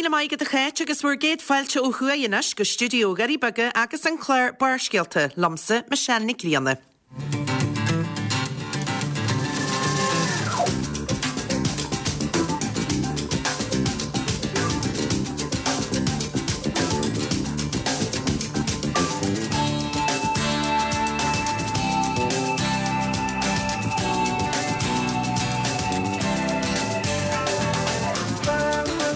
Raibh míle maith agat a Cháit agus bhur gcéad fáilte ó thuaidh anois go stiúideo Dhoirí Beaga agus an clár Barrscéalta, liomsa, Michelle Nic Grianna.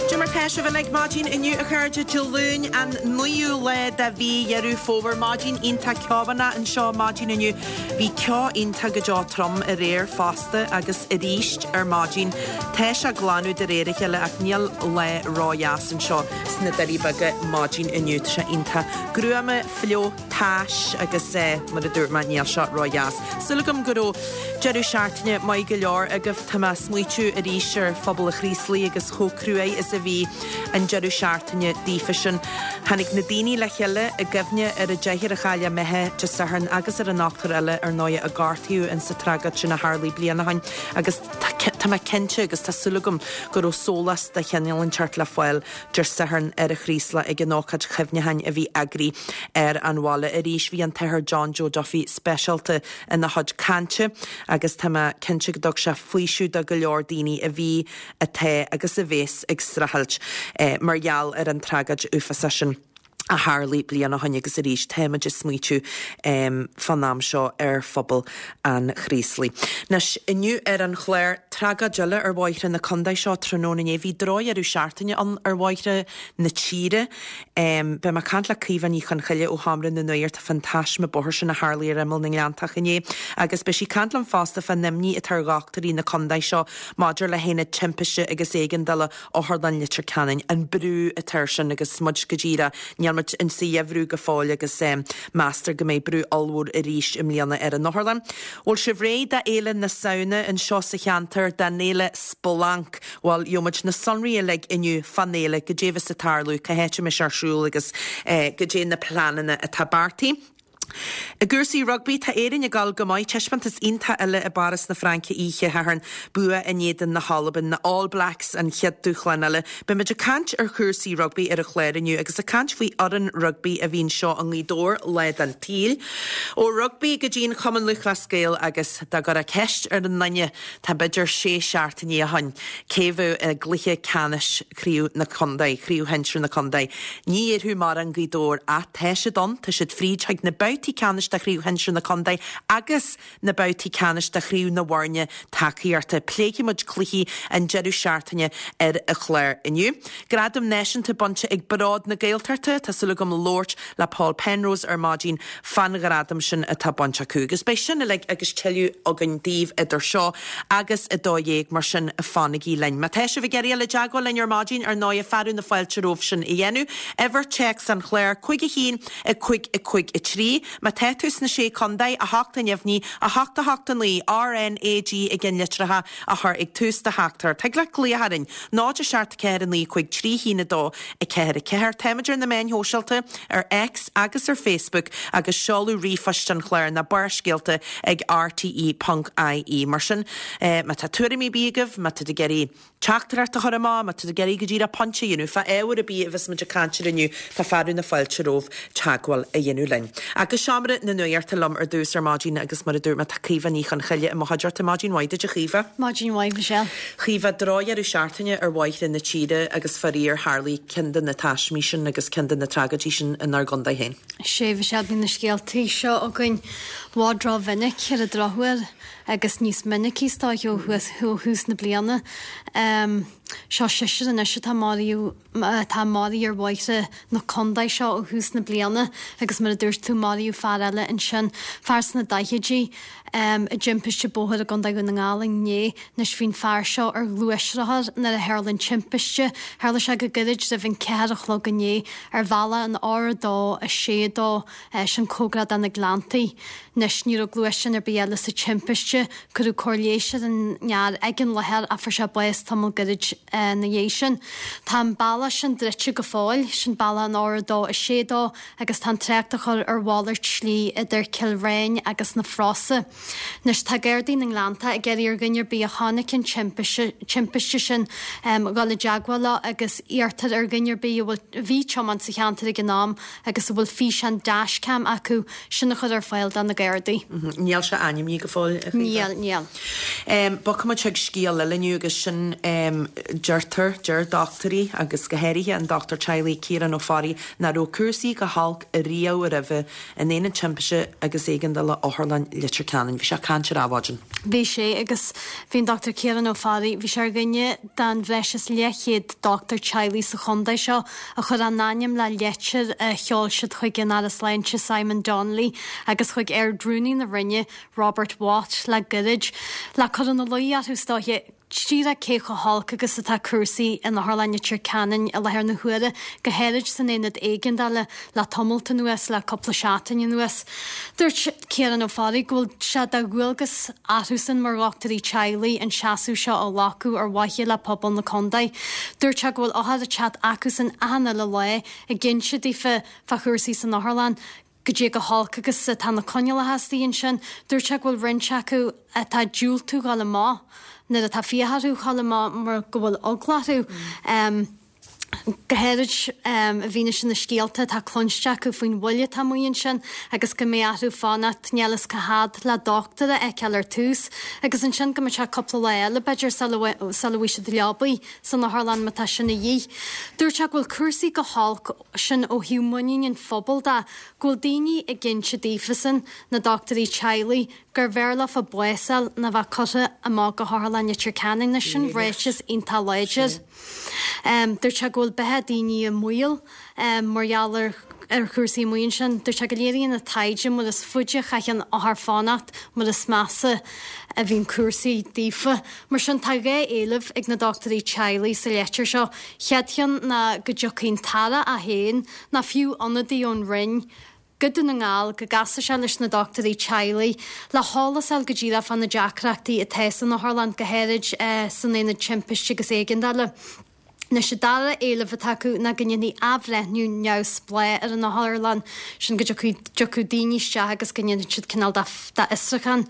Cad é mar tá sibh uilig maidin inniu a chairde Dé Luain an 9ú lá de mhí Dheireadh Fómhair. Maidin iontach ceomhánach anseo maidin inniu. Bhí ceo iontach go deo trom aréir fosta agus arís ar maidin. Tá sé ag glanadh de réir a chéile ach níl lá ródheas anseo sna Doirí Beaga maidin inniu. Tá sé iontach gruama, fliuch, tais agus mar a dúirt mé níl sé ródheas. Súil agam go raibh deireadh seachtaine maith go leor agaibh. Tá mé ag smaoitiú arís ar phobal an Chraoslaigh agus chomh cruaidh is a bhí an deireadh seachtaine daofa sin. Tháinig na daoine le chéile i gcuimhne ar an deichniúr a chaill a mbeatha Dé Sathairn agus ar an ochtar eile ar ndóigh a gortaíodh in sa tragóid sin a tharlaigh bliain ó shin agus tá mé cinnte agus tá súil agam go raibh sólás de chineál inteacht le fáil Dé Sathairn ar an Chraoslach ag an ócáid chuimhneacháin a bhí eagraithe ar an bhaile. Arís bhí an tAthair John Joe Duffy speisialta ina chuid cainte agus tá mé cinnte go dtug sé faoiseamh do go leor daoine a bhí, atá agus a bhéas ag streachailt mar gheall ar an tragóid uafásach sin a tharlaigh bliain ó shin agus arís táimid ag smaoitiú fán am seo ar phobal an Chraoslaigh. Anois, inniu ar an chlár, tragóid eile ar bhóithre na contae seo tráthnóna inné. Bhí drochdheireadh seachtaine ann ar bhóithre na tíre. Beidh mé ag caint le Caoimhe Ní Chonchoille ó Sheomra na Nuachta fán taisme bóthair sin a tharlaigh ar imeall na nGleanntach inné agus beidh sí ag caint liom fosta fán imní atá ar dhochtúirí na contae seo maidir le haonad timpiste agus éigeandála Otharlann Leitir Ceanainn, an brú atá air sin agus muid go díreach, níl muid in sa gheimhreadh go fóill agus meastar go mbeidh brú ollmhór arís i mbliana ar an otharlann. Bhfuil sibh réidh do Fhéile na Samhna anseo sa cheantar, don fhéile Splanc? Bhuel, gheobhaidh muid na sonraí uilig inniu fán fhéile, goidé a bheas ag tarlú, cá háit a mbeidh sé ar siúl agus goidé na pleananna atá beartaithe. I gcúrsaí rugbaí, tá Éirinn ag dul go maith. Taispeántas iontach eile i bPáras na Fraince oíche Shathairn. Bua in éadan na hAlban, na All Blacks an chéad dúshlán eile. Beidh muid ag caint ar chúrsaí rugbaí ar an chlár inniu agus ag caint faoi fhoireann rugbaí a bhí anseo i nGaoth Dobhair lá den tsaol. Ó rugbaí go dtí an Chumann Lúthchleas Gael agus dá gcuirfeá ceist ar an nduine, tá b'fhéidir sé seachtainí ó shoin, cé bheadh i gcluiche ceannais Chraobh na Contae, Craobh Shinsir na Contae. Ní dhéarfadh mórán Gaoth Dobhair ach tá siad ann, tá siad fríd chuig na babhtaí ceannais de Chraobh Shinsir na Contae agus na babhtaí ceannais de Chraobh na bhFoirne Tacaíochta. Pléifidh muid cluichí an deireadh seachtaine ar an chlár inniu. Gradam náisiúnta bainte ag Bród na Gaeltachta, tá súil agam labhairt le Paul Penrose ar maidin fán ghradam sin atá bainte acu. Agus beidh sin uilig agus tuilleadh againn daoibh idir seo agus 12:00, mar sin fanaigí linn. Má tá sibh ag iarraidh a dhul i dteagmháil linn ar maidin, ar ndóighe, fearadh na fáilte romhaibh sin a dhéanamh. Uimhir téacs an chláir, 5 1 5 5 3. Má tá tú sna Sé Contae, 8 a neamhní, 8 8 9, RNAG i gceannlitreacha a chur ag tús do theachtaireacht. Thig leat glaoch orainn, 0 7 4 9 5 3 1 2 4 4. Táimid ar na meáin shóisialta, ar X agus ar Facebook agus seoladh ríomhphoist an chláir ná barrscéalta ag rte.ie. Mar sin, má tá tuairimí ar bith agaibh, má tá tú ag iarraidh teachtaireacht a chur amach, má tá tú ag iarraidh go díreach pointe a dhéanamh fá ábhar ar bith a bheas muid ag caint air inniu, tá fearadh na fáilte romhaibh teagmháil a dhéanamh linn. Ach go seomra na nuachta liom ar dtús ar maidin agus mar a dúirt mé tá Caoimhe Ní Chonchoille i mo chuideachta. Maidin mhaith duit a Chaoimhe. Maidin mhaith Michelle. Chaoimhe, drochdheireadh seachtaine ar bhóithre na tíre agus faraor tharlaigh ceann de na taismí sin agus ceann de na tragóidí sin inár gcontae féin. Sea, Michelle, bíonn na scéaltaí seo againn i bhfad ró-mhinic ar an drochuair agus níos minicí is dóiche ó thús na bliana. Seo seisear anois atá maraithe atá maraithe ar bhóithre na contae seo ó thús na bliana agus mar a dúirt tú maraíodh fear eile ansin, fear sna daichidí, i dtimpiste bóthair i gContae Dhún na nGall inné. Anois bhí an fear seo ar ghluaisrothar nuair a tharla an timpiste. Tharla sé go gairid roimh an ceathair a chlog inné ar bhealach an R2 6 2, sin cóngarach do na Gleanntaí. Anois ní raibh gluaisteán ar bith eile sa timpiste. timpiste. Cuireadh cóir leighis ar an bhfear ag an láthair ach fuair sé bás tamall gairid ina dhiaidh sin. Tá an bealach sin druidte go fóill, sin bealach an R2 6 2 agus tá an trácht á chur ar mhalairt slí idir Cill Bhréin agus na Frosa. Anois tá Gardaí na nGleannta ag iarraidh ar dhuine ar bith a chonaic an timpiste sin dhul i dteagmháil leo agus iarrtar ar dhuine ar bith a bhfuil a bhí ag tiomáint sa cheantar ag an am agus a bhfuil físeán dashcam acu sin a chur ar fáil do na Gardaí. Níl sé ainmnithe go fóill, a Chaoimhe. Níl, níl. Bogfaimid chuig scéal eile inniu agus sin deirtear, deir dochtúirí agus go háirithe an dochtúir teaghlaigh Ciarán Ó Fearraigh nach raibh cúrsaí chomh holc riamh roimhe in Aonad Timpiste agus Éigeandála Otharlann Leitir Ceanainn. Bhí sé ag caint ar Adhmhaidin. Bhí sé, agus bhí an Dr Ciarán Ó Fearraigh, bhí sé ar dhuine den bhreis is leathchéad dochtúir teaghlaigh sa chontae seo a chuir a n-ainm le leitir a sheol siad chuig an Aire Sláinte Simon Donnelly agus chuig Ard-Rúnaí na Roinne Robert Watt le gairid le cur ina luí orthu is dóiche. Díreach cé chomh holc agus atá cúrsaí in Otharlann Leitir Ceanainn i láthair na huaire, go háirid san aonad éigeandála le tamalt anuas, le cúpla seachtain anuas. Dúirt Ciarán Ó Fearraigh go bhfuil sé de dhualgas orthusan mar dhochtúirí teaghlaigh an seasamh seo a ghlacadh ar mhaithe le pobal na contae. Dúirt sé go bhfuil othair ag teacht acusan achan uile lá ag inse daofa fá chúrsaí san otharlann, goidé chomh holc agus atá na coinníollacha istigh ansin. Dúirt sé go bhfuil roinnt acu atá ag diúltú dhul amach nuair atá fiacha orthu dhul amach mar go bhfuil eagla orthu. Go háirid i bhfianaise na scéalta atá cluinste acu faoin bhfuil atá amuigh ansin agus go mbeidh orthu fanacht níl fhios cá fhad le dochtúir a fheiceáil ar tús agus ansin go mbeidh sé cúpla lá eile b'fhéidir sula bhfaighidh siad leabaidh san otharlann má tá sin a dhíth. Dúirt sé go bhfuil cúrsaí go holc sin ó thaobh muinín an phobail de, go bhfuil daoine ag inse daofasan, na dochtúirí teaghlaigh, gur bhfearr leofa bás a fháil ná bheith curtha amach go hOtharlann Leitir Ceanainn. Anois sin ráiteas iontach láidir. Dúirt sé go bhfuil beatha daoine i mbaol mar gheall ar ar chúrsaí amuigh ansin. Dúirt sé go léiríonn an taighde mar is faide a chaitheann othair fanacht, mar is measa a bhíonn cúrsaí daofa. Mar sin tá 2 éileamh ag na dochtúirí teaghlaigh sa leitir seo. Chéad cheann ná go dtiocfaidh an tAire é féin, ná fiú ionadaí ón Roinn, go Dún na nGall, go gcasfaidh sé leis na dochtúirí teaghlaigh le heolas a fháil go díreach fá na deacrachtaí atá san otharlann, go háirid san aonad timpiste agus éigeandála. Anois, an dara éileamh atá acu ná go ndéanfaí athbhreithniú neamhspleách ar an otharlann, sin go dtiocfadh daoine isteach agus go ndéanfadh siad cineál de fhiosrúchán,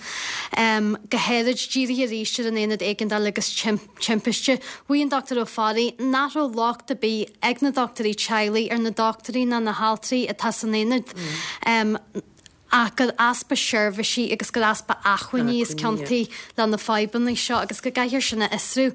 go háirid dírithe arís ar an aonad éigeandála agus timpiste. Mhaígh an Dr Ó Fearraigh nach raibh locht ar bith ag na dochtúirí teaghlaigh ar na dochtúirí ná na haltraí atá san aonad. ach gur easpa seirbhísí agus gur easpa acmhainní is ciontaí le na fadhbanna seo agus go gcaithfear sin a fhiosrú.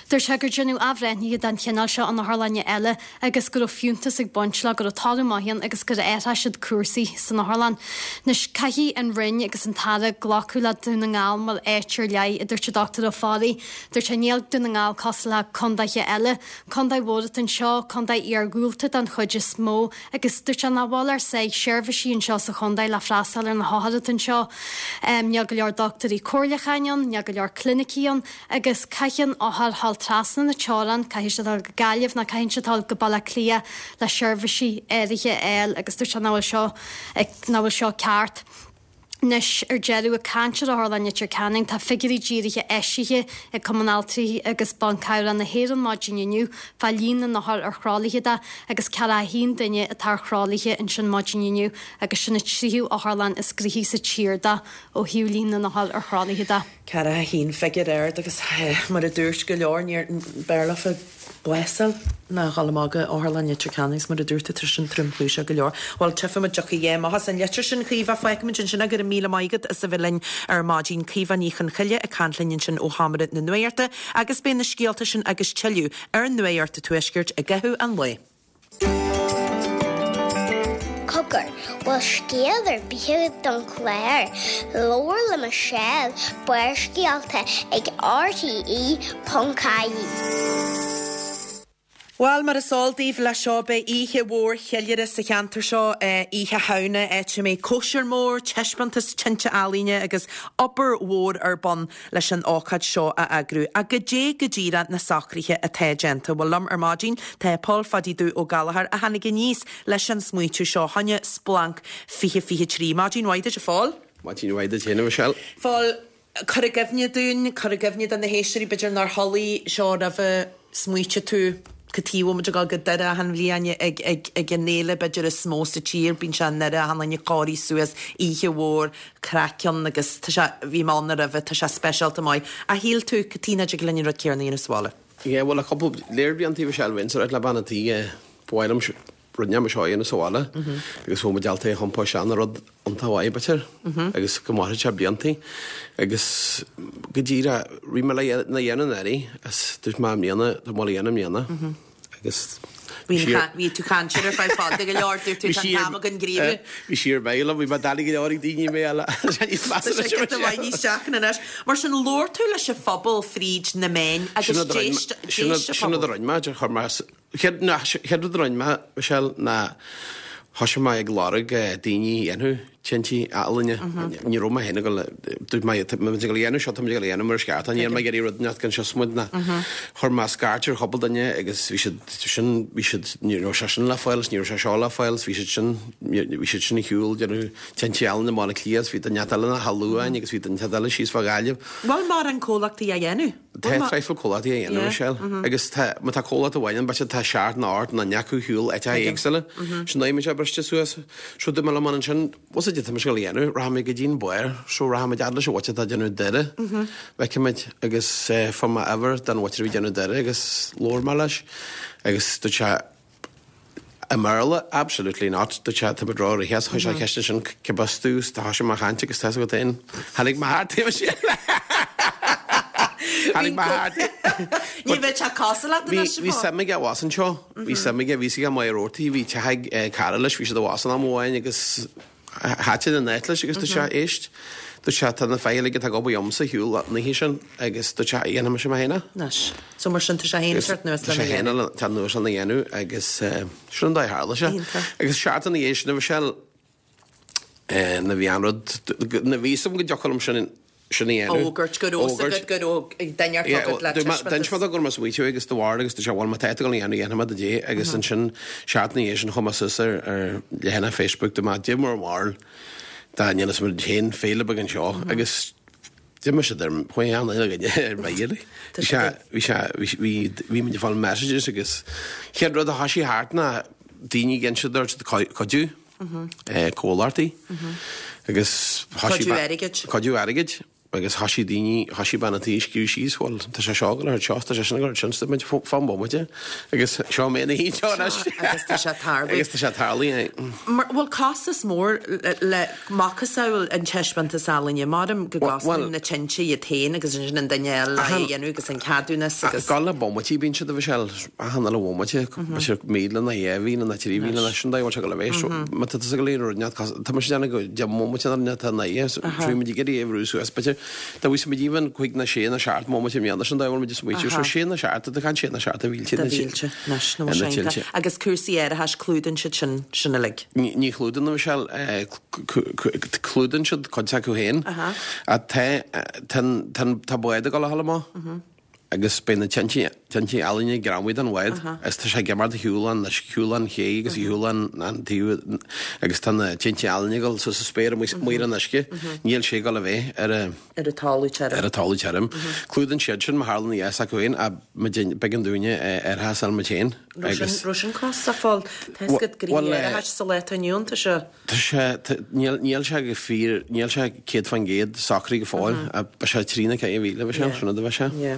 Dúirt sé gur deineadh athbhreithnithe den chineál seo in otharlainne eile agus go raibh fiúntas ag baint leo, go raibh toradh maith ann agus gur athraigh siad cúrsaí san otharlann. Anois, caithfidh an Roinn agus an tAire glacadh le Dún na nGall mar áit ar leith, a dúirt an Dr Ó Fearraigh. Dúirt sé, Níl Dún na nGall cosúil le condaetha eile. Condae mhór atá anseo, condae iargúlta den chuid is mó, Agus dúirt sé nach bhfuil ár sáith seirbhísí anseo sa chontae le freastal ar na hothair atá anseo. Níl go leor dochtúirí comhairleacháin ann, níl go leor clinicí ann agus caitheann othair dhul trasna na teorann, caithfidh siad dul go Gaillimh nó caitheann siad dul go Baile Átha Cliath le seirbhísí áirithe a fháil agus dúirt sé nach bhfuil seo, nach bhfuil seo ceart. Anois, ar deireadh, ag caint ar Otharlann Leitir Ceanainn, tá figiúirí díreach eisithe ag Cumann Altraí agus Ban Cabhrach na hÉireann maidin inniu fá líon na n-othar ar thralaithe de agus 41 duine atá ar thralaithe ansin maidin inniu agus sin an tríú otharlann is gnoithí sa tír de ó thaobh líon na n-othar ar thralaithe de. 41 figiúr ard agus mar a dúirt go leor níor b'fhearr leofa bás a fháil ná dhul amach go Otharlann Leitir Ceanainn agus mar a dúirt tú tá sin tromchúiseach go leor. Bhuel tchífimid dtiocfaidh a dhath amach as an litir sin Caoimhe fágfaimid ansin é go raibh míle maith agat as a bheith linn ar maidin. Caoimhe Ní Chonchoille ag caint linn ansin ó Sheomra na Nuachta agus beidh na scéalta sin agus tuilleadh ar Nuacht an Tuaiscirt i gcaitheamh an lae. Cogar, bhfuil scéal ar bith agat don chlár? Labhair le Michelle, Barrscéalta ag RTE.ie. Bhuel, mar is eol daoibh, leis seo beidh oíche mhór cheiliúrtha sa cheantar seo, Oíche Shamhna, áit a mbeidh cóisir mhór, taispeántas tinte ealaíne agus obair mhór ar bun leis an ócáid seo a eagrú. Ach goidé go díreach na socruithe atá déanta? Bhuel, liom ar maidin tá Pól Phadaí Dubh Ó Gallchóir a tháinig aníos leis an smaoitiú seo, fá choinne Splanc 2023. Maidin mhaith duit, a Phóil. Maidin mhaith duit féin, a Mhichelle. Phóil. Cuir i gcuimhne dúinn, cuir i gcuimhne do na héisteoirí, b'fhéidir nár chuala seo roimhe, smaoitigh tú, cad chuige a bhfuil muid ag dul go Doire achan bhliain ag, ag, ag an fhéile b'fhéidir is mó sa tír, bíonn sé i nDoire achan duine cóirithe suas, oíche mhór, craic ann agus tá sé, bhí mé ann roimhe, tá sé speisialta maith. Ach shíl tú, cad chuige nach dtig linn an rud céanna a dhéanamh sa bhaile? Yeah, bhuel, le cúpla léir blianta bhí sé bheinnse ag ráit le bean an tí, ba mhaith liom rud inteacht mar seo a dhéanamh sa bhaile agus bhfuil muid ábalta é a chompás ina rud iontach mhaith b'fhéidir agus go mairfidh sé bliantaí agus go díreach bhí mé le na dhéanamh anuraidh is dúirt mé i mbliana tá mé le dhéanamh i mbliana agus Bhí tú caint ar feadh fada go leor dúirt tú tá an t-am againn gníomhú. Bhí sí ar bheidh liom, bhí mé doiligh go leor ag daoine mé eile. Tá sé giota maith níos deacra anois. Mar sin labhair tú leis an phobal fríd na meáin agus d'éist an pobal. Sin rud a rinne mé, chuir mé Chéad rud a rinne mé, Michelle, ná thoisigh mé ag lorg daoine a dhéanfadh tintí ealaíne. Ní raibh mé féin ag dul, dúirt mé, tá muid ag dul a dhéanamh seo, tá muid ag dul a dhéanamh mar is ceart, ní raibh mé ag iarraidh rud inteacht gan siosmaid ná. Chuir mé scairt ar chúpla duine agus bhí siad sin, bhí siad, ní raibh sé sin le fáil is ní raibh sé seo le fáil is bhí siad sin, bhí siad sin ar shiúl ag déanamh tintí ealaíne i mBaile Átha Cliath is bhí duine eile ina Theach Luain agus bhí duine eile síos fá Ghaillimh. Bhfuil mórán comhlachtaí á dhéanamh? Tá traidhfil comhlachtaí á dhéanamh, Michelle, agus tá, má tá comhlacht amháin ann, b'fhéidir tá seacht nó ocht nó naoi acu ar shiúl áiteacha éagsúla. Sin dóigh muid briste suas. So dúirt mé liom ansin, bhfuil 's agat tá mise ag dul a dhéanamh, rachaidh mé go dtí an barr, so rachaidh muid fhad leis an mhuintir atá ag déanamh Doire, feicfidh muid, agus fuair mé uimhir den mhuintir a bhí ag déanamh Doire agus labhair mé leis agus dúirt sé, I mBéarla, absolutely not, dúirt sé, tá muid ró-rithis, chuir sé ceist ansin, cé as tú, is thoisigh mé a chaint agus tá's agat féin, tháinig mo heart taobh istigh. Tháinig mo heart. Ní bheadh sé cosúil leat anois, Bhí suim aige abhus anseo, bhí suim aige, bhí sé ag Maigh Roarty, bhí teach ag cara leis, bhí siad abhus an am amháin agus Thaitin an áit leis agus dúirt sé, éist, dúirt sé, tá na fir uilig atá ag obair liomsa ar shiúl an oíche sin agus dúirt sé, dhéanfaidh mise mé féin é. Anois. So mar sin tá sé féin ag teacht anuas lena dhéanamh. Tá sé féin ag teacht anuas lena dhéanamh agus sin an dóigh a tharla sé. Iontach. Agus seachtain ina dhiaidh sin a Mhichelle, na bhí an rud, na bhí 'fhios a'm go dtiocfadh liom sin sin a dhéanamh. Fhógairt go raibh 'fhios agat go raibh duine ar agat le taispeántas. D'inis mé dó go raibh mé ag smaoitiú agus de bharr agus dúirt sé bhuel má tá tú ag dul a dhéanamh dhéanfaidh mé do dé agus ansin seachtain ina dhiaidh sin chuaigh mé suas ar ar leathanach Facebook dúirt mé goidé bhur mbarúil dá ndéanfas muid féin féile beag anseo agus d'imigh siad ar chuaigh an uile dhuine ar mire. Bhí sé bhí sé bhí bhí muid ag fáil messages agus chéad rud a thoisigh thart ná daoine ag inse dúirt siad cuidiú. comhlachtaí agus thoisigh. Cuidiú airgid. Cuidiú airgid agus thoisigh daoine, thoisigh bean an tí ag scríobh síos, bhuel, tá sé seo ag dul thart seo, tá sé sin ag dul thart sin, so muid fan bomaite agus seo mé ina shuí anseo anois. Agus tá sé tarlú. Agus tá sé tarlú, aye. Mar, bhfuil costas mór le macasamhail an taispeántas ealaíne, maram go gcosnaíonn na tinte iad féin agus ansin an duine eile le é a dhéanamh agus an ceadúnas agus. Gabh le bomaití bíonn siad a Mhichelle. Achan uile bhomaite, b'fhéidir 1,000 nó 2,000 nó 3,000 nó sin dóigh a bhfuil sé ag dul a bheith. So, má tá tusa ag dul aon rud inteacht, tá mise ag déanamh go 10 mbomaite nó rud inteacht atá in aghaidh, so bhí muid ag iarraidh é a bhrú suas, b'fhéidir, dá bhfuil muid even 5 nó 6 nó 7 mbomaite i mbliana, sin dóigh a bhfuil muid ag smaoitiú. So 6 nó 7, tá caint 6 nó 7 de mhílte. De mhílte, anois, nó sé iontach. Agus cúrsaí árachais, clúdaíonn siad sin, sin uilig? Ní chlúdaíonn, a Mhichelle, clúdaíonn siad cuid acu féin. Ach tá, tá, tá bád ag dul a ghabháil amach. agus beidh na tinte, tinte ealaíne greamaithe den bhád agus tá sé ag imeacht ar shiúl an, ar shiúl an ché agus ar shiúl an, an taobh agus tá na tinte ealaíne ag dul suas sa spéir amuigh, amuigh ar an uisce. Níl sé ag dul a bheith ar a. ar an talamh tirim. Ar an talamh tirim. Clúdaíonn siad sin má tharlaíonn a dhath s'acu féin ach muid, b'éigean dúinne árachas a fháil muid féin agus. Raibh sin costasach fáil, tá a fhios agat gnoithe árachais sa lá atá inniu ann, tá sé. Tá sé, níl, níl sé go fíor, níl sé 100% socraithe go fóill, ach beidh sé 3 nó 4 mhíle, bheadh sé, sin rud a bheadh sé. Yeah.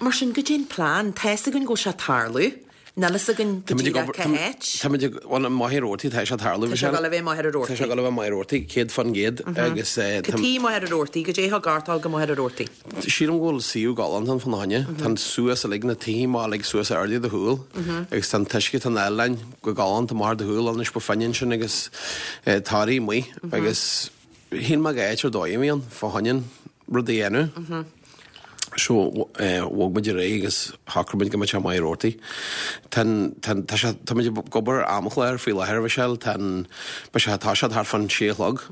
Mar sin, goidé an plean, tá fhios againn go bhfuil sé ag tarlú, níl fhios againn go díreach cá háit. Tá muid ag, bhuel, i Machaire Rabhartaigh, tá sé ag tarlú, Tá sé ag dul a bheith i Machaire Rabhartaigh. Tá sé ag dul a bheith i Machaire Rabhartaigh, 100% agus. Cad chuige Machaire Rabhartaigh, goidé thug ort dul go Machaire Rabhartaigh. Sílim go bhfuil suíomh galánta ann fána choinne. Tá an suas uilig, na tithe amach uilig suas airde do shúil agus tá an t-uisce, tá an áileáin go galánta amach ar do shúil anois ba finne ansin agus tarraí amuigh agus shíl mé go áit ar dóigh a bhí ann fá choinne an rud a dhéanamh. So bhog muid ar aghaidh agus shocraigh muid go mbeadh sé i Machaire Rabhartaigh. Tá an, tá an, tá sé, tá muid ag obair ar amchlár faoi láthair, a Mhichelle, tá an, beidh sé, tá sé thart fán sé a chlog.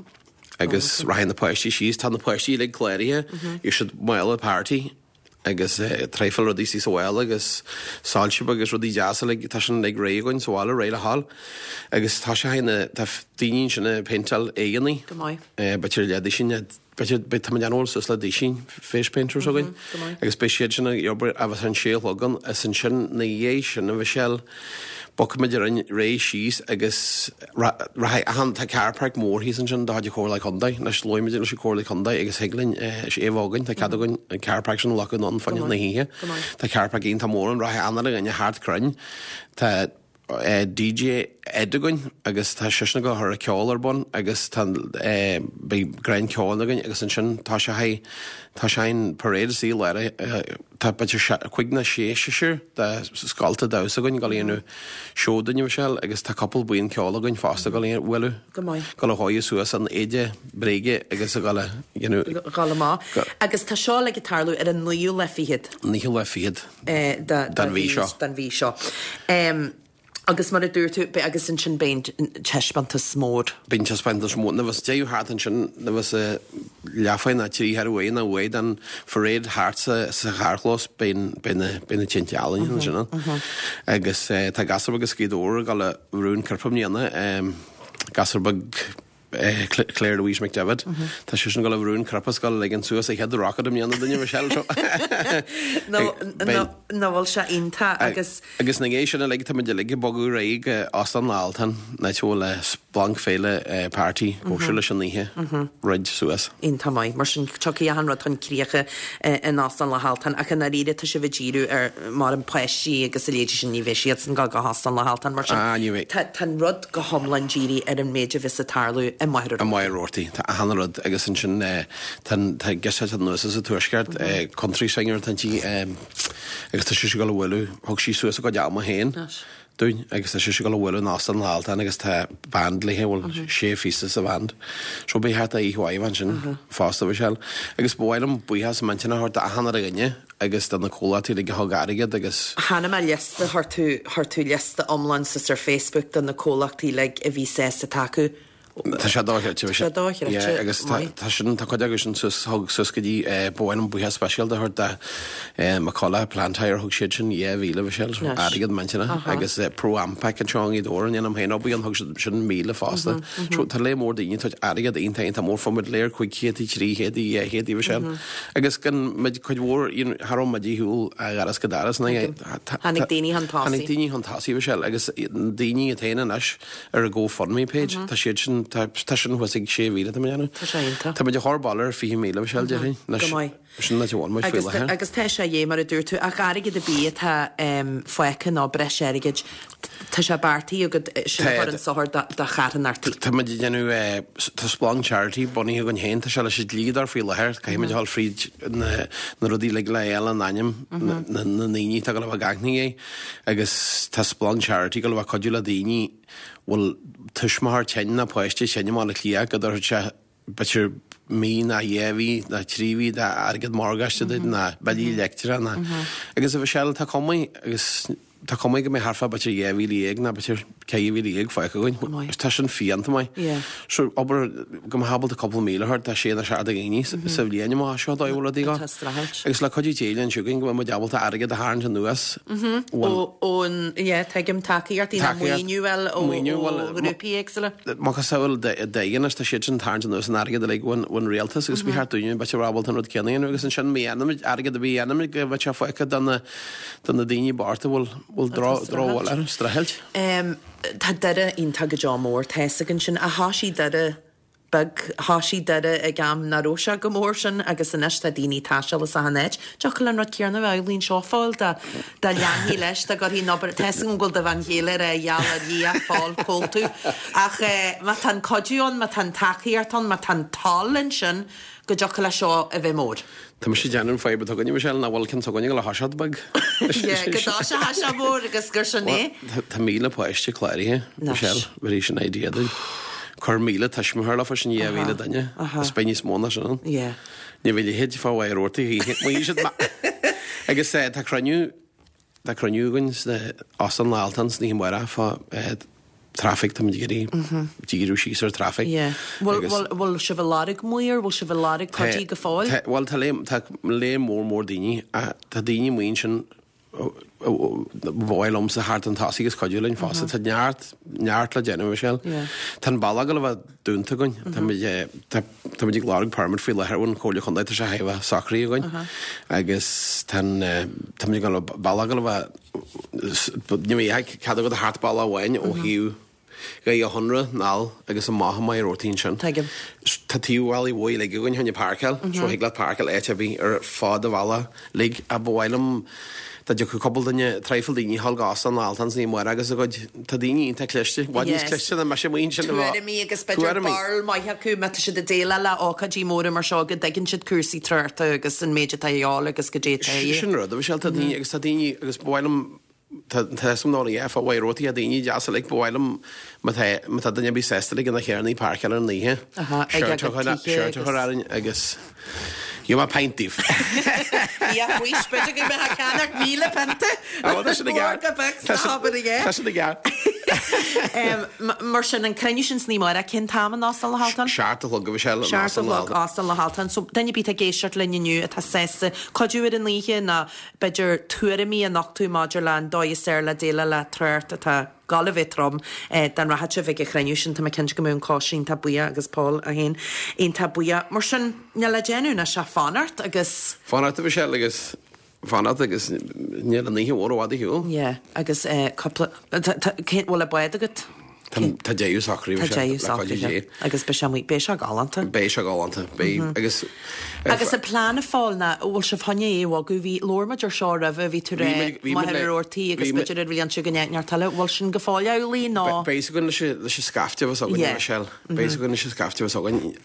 Agus rachaidh na páistí síos, tá na páistí uilig cláraithe, gheobhaidh siad mála party. Agus traidhfil rudaí istigh sa bhaile agus soilse agus rudaí deasa uilig, tá sin uilig réidh againn sa bhaile, réidh le dhul. Agus tá sé ina, tá daoine ansin ag péinteáil aghaidheanna. Go maith. B'fhéidir leathduisín, b'fhéidir, beidh, tá muid ag déanamh suas le duisín face painters againn. Go maith. Agus beidh siad sin ag obair agus an sé a chlog ann is ansin ina dhiaidh sin a Mhichelle, bogfaimid ar aghaidh síos agus rachaidh achan, tá car park mór thíos ansin de chuid an Chomhairle Contae, anois labhair muid leis an Chomhairle Contae agus thig linn, is é a bheadh againn, tá cead againn an car park sin a ghlacadh anonn fá choinne na hoíche. Tá car park iontach mór ann, rachaidh achan uile dhuine thart cruinn. Tá DJ Ed againn agus tá seisean ag gabháil a chur an ceol ar bun agus tá beidh grand ceoil againn agus ansin tá sé tá sé an parade is í lár Tá b'fhéidir 5 nó 6 seisear de scolta damhsa againn ag dul a dhéanamh seó dúinn, a Mhichelle, agus tá cúpla buíon ceoil againn fosta ag dul a bhualadh, Go maith. ag dul a dhóigh suas an éide bréige agus ag dul a dhéanamh. Dhul amach. Agus tá seo uilig ag tarlú ar an naoú lá fichead. Naoú lá fichead. Den mhí seo. Den mhí seo. Agus mar a dúirt tú, beidh, agus ansin beidh an taispeántas mór. Beidh an taispeántas mór, nuair a bheas deireadh thart ansin, nuair a bheas leathuair nó trí cheathrú uair nó uair den pharáid thart sa charrchlós, beidh na, beidh na tinte ealaíne ansin ann. Agus tá gasúr beag as Gaoth Dobhair ag dul a bhrú an cnaipe i mbliana, gasúr beag, Claire Louise McDevitt. Tá sise ag dul a bhrú an cnaipe is ag dul a ligean suas a chéad rocket i mbliana dúinne Michelle seo. Nach bhfuil sé iontach agus. Agus ina dhiaidh sin uilig tá muid uilig ag bogadh ar aghaidh go Óstán na hAltan, an áit a bhfuil Splanc Féile Party cóisir leis an oíche roid suas. Iontach maith. Mar sin tiocfaidh achan rud chun críche in Óstán na hAltan ach i ndáiríre tá sibh ag díriú ar mar an páistí agus a leithéidí sin ní bheidh siadsan ag dul go hÓstán na hAltan mar sin ní bheidh. Tá an rud go hiomlán dírithe ar an méid a bheas ag tarlú i Machaire I Machaire Rabhartaigh. Tá achan rud agus ansin tá tá girseach anuas as an tuaisceart, country singer atá inti agus tá sise ag dul a bhualadh, thug sí suas a cuid ama féin dúinn agus tá sise ag dul a bhualadh in Óstán na hAltan agus tá band léi, bhfuil sé phíosa sa bhand. So beidh thart oíche mhaith ansin fosta Michelle. Agus ba mhaith liom buíochas millteanach a thabhairt d'achan uile dhuine agus do na comhlachtaí uilig a thug airgead agus. Chonaic mé liosta, chuir tú, chuir tú liosta iomlán suas ar Facebook de na comhlachtaí uilig a bhí sásta tacú. Tá sé dochreidte, Tá sé dochreidte, Yeah, agus tá, tá sin, tá cuid acu sin suas, thug suas go dtí, eh, ba mhaith liom buíochas speisialta a thabhairt do, eh, McCullough Plant Hire, thug siad sin 2,000 Michelle, so airgead millteanach, agus eh, Pro Ampac anseo i nGaoth Dobhair, a ndéanaim féin obair ann, thug siad sin 1,000 fosta. So tá lear mór daoine ag tabhairt airgead iontach, iontach mór, fuair muid lear 500, 300, 200 Michelle. Agus gan muid cuid mhór, you know, cha raibh muid ar shiúl ó dhoras go doras. Tháinig daoine chun tosaigh. Tháinig daoine chun tosaigh, Michelle, agus daoine atá ann anois ar an GoFundMe page, tá siad sin, tá sin thuas ag 6,000 tá mé ag déanamh. Tá sé iontach. Tá muid ag chur baile ar 20,000, Michelle, déarfainn. Go maith. Sin an áit a bhfuil muid faoi láthair. Agus tá sé dhé, mar a dúirt tú, ach airgead ar bith atá fágtha nó breis airgid, tá sé beartaithe agat sin a chur chun sochair do charthanachtaí. Tá muid ag déanamh, tá Splanc Charity bunaithe againn féin, tá sé leis an dlíodóir faoi láthair, caithfidh muid a dhul fríd na rudaí uilig le fháil an ainm na ndaoine atá ag dul a bheith gach ní é agus tá Splanc Charity ag dul a bheith cuidiú le daoine bhfuil tuismitheoir tinn nó páiste tinn i mBaile Átha Cliath go dtabharfadh sé b'fhéidir mí nó dhá mhí nó trí mhí d'airgead morgáiste duit nó billí leictreach nó agus a Mhichelle tá cuma agus tá cuma go mbeidh thart fá b'fhéidir 12,000 nó b'fhéidir 14,000 fágtha againn. Agus tá sin fiánta maith. So obair go mbeadh ábalta cúpla míle a thabhairt do sé nó seacht de dhaoine sa bhliain amach seo dóigh bhfuil rudaí go. Agus le cuidiú Dé linn siúd go mbeidh muid ábalta airgead a tharraingt anuas ón yeah tuigim tacaíochtaí nó maoiniú bhuel ó ghrúpaí éagsúla. Macasamhail Doegen is tá siad sin ag tarraingt anuas an airgead uilig ón rialtas agus ba cheart dúinne b'fhéidir bheith ábalta an rud céanna a dhéanamh agus ansin má dhéanaimid airgead ar bith a dhéanaimid go mbeidh sé fágtha do na do na daoine bochta a bhfuil bhfuil drochbhail orthu, streachailt. Tá Doire iontach go deo mór, tá fhios againn sin, ach thoisigh Doire beag. Thoisigh Doire ag am nach raibh sé chomh mór sin agus anois tá daoine ag taisteal as achan áit. Dtiocfadh an rud céanna a bheith amhlaidh anseo Phóil dá dá leanfaí leis, dá gcuirfí an obair, tá fhios agam go bhfuil do bhean chéile ag rá gheall ar Dhia Phóil cá bhfuil tú. Ach má tá an cuidiú ann, má tá an tacaíocht ann, má tá an toil ansin go dtiocfadh leis seo a bheith mór. Tá mise ag déanamh an fadhb atá againne, Michelle, nach bhfuil ceann s'againne ag dul a thoiseacht beag. Yeah, go dtoiseoidh sé mór agus gur sin é. Tá 1,000 páiste cláraithe, Michelle, bhí sin idea dúinn. Cuir 1,000 tuismitheoir leofa, sin 2,000 duine, is beidh níos mó ná sin ann. Ní bheidh leithéid fá Mhachaire Rabhartaigh choíche. Agus tá cruinniú, tá cruinniú againn sna, Óstán na hAltan san oíche amárach fá. traffic, táimid ag iarraidh díriú síos ar traffic. Yeah. Bhfuil, bhfuil, bhfuil sibh ag lorg maor, bhfuil sibh ag lorg cuidí go fóill? Tá, bhuel tá léim, tá léim mór mór daoine, tá daoine amuigh ansin ba mhaith liomsa theacht chun tosaigh agus cuidiú linn fosta. Tá neart, neart le déanamh, Michelle. Tá an bealach ag dul a bheith dúnta againn. Tá muid, tá, tá muid ag lorg permit faoi láthair ón Chomhairle Chontae, tá sé thar a bheith socraithe againn. Agus tá an, tá muid ag dul, bealach ag dul a bheith, ní bheidh cead agat a theacht bealach amháin ó thaobh Dhoire Chonaire anall agus amach i Machaire Rabhartaigh ansin. Tuigim. Tá taobh bhealaigh mhóir uilig againn chun páirceáil, so thig leat páirceáil áit ar bith ar fad an bhealaigh uilig ach ba mhaith liom dá dtiocfadh cúpla duine, traidhfil daoine a ghabháil go Óstán na hAltan san amárach agus a gcuid, tá daoine iontach cliste, i bhfad níos cliste ná mise amuigh ansin. Tuairimí agus b'fhéidir barúil maith acu má tá siad ag déileáil le ócáidí móra mar seo go dtuigeann siad cúrsaí tráchta agus an méid atá a dhíobháil agus goidé atá a dhíth. Sin rud, a Mhichelle, tá daoine agus tá daoine agus ba mhaith liom Tá fhios agam nach bhfuil a dhath fá Mhachaire Rabhartaigh, tá daoine deasa uilig, ba mhaith liom má tá má tá duine ar bith sásta uilig ina chearnaí páirceáil ar an oíche, Ag a gcuid tithe seart a chur orainn agus gheobhaidh mé pint daoibh. Bhí a bhaois, b'fhéidir go mbeadh ceannach 1,000 pionta. Á, tá sin i gceart. Go beag sna hobair aige. Tá sin i gceart. Mar sin, an cruinniú sin san oíche amárach, cén t-am in Óstán na hAltan? Seacht a chlog a Mhichelle, in Seacht a Óstán na chlog, hAltan. Óstán na hAltan. So, duine ar bith atá ag éisteacht linn inniu atá sásta cuidiú ar an oíche nó b'fhéidir tuairimí a nochtadh maidir le an dóigh is fearr le déileáil le trácht atá ag gabháil a bheith trom dá rachadh sibh ag an chruinniú sin. Tá mé cinnte go mbeadh an coiste iontach buíoch agus Paul é féin iontach buíoch. Mar sin, níl le déanamh anois ach fanacht agus. Fanacht a Mhichelle agus fanacht agus níl an oíche mhór i bhfad ar shiúl. Yeah, agus cúpla, cén, bhfuil an bád agat? Tá tá deireadh socraithe Tá Michelle, deireadh le cuidiú socraithe Dé. agus beidh sé amuigh, beidh sé galánta. Beidh sé galánta, beidh agus Agus an plean a Phóil ná, bhfuil sibh chun é a bhogadh, bhí, labhair muid ar seo roimhe, bhí tú Bhí rá muid, bhí muid Machaire le, Rabhartaigh agus bhí muid, b'fhéidir ar bhliain seo go neart eile, bhfuil sin go fóill amhlaidh nó? Beidh fhios againn leis an, leis an scaifte a bheas againn, Yeah. Michelle, beidh fhios againn leis an scaifte a bheas againn.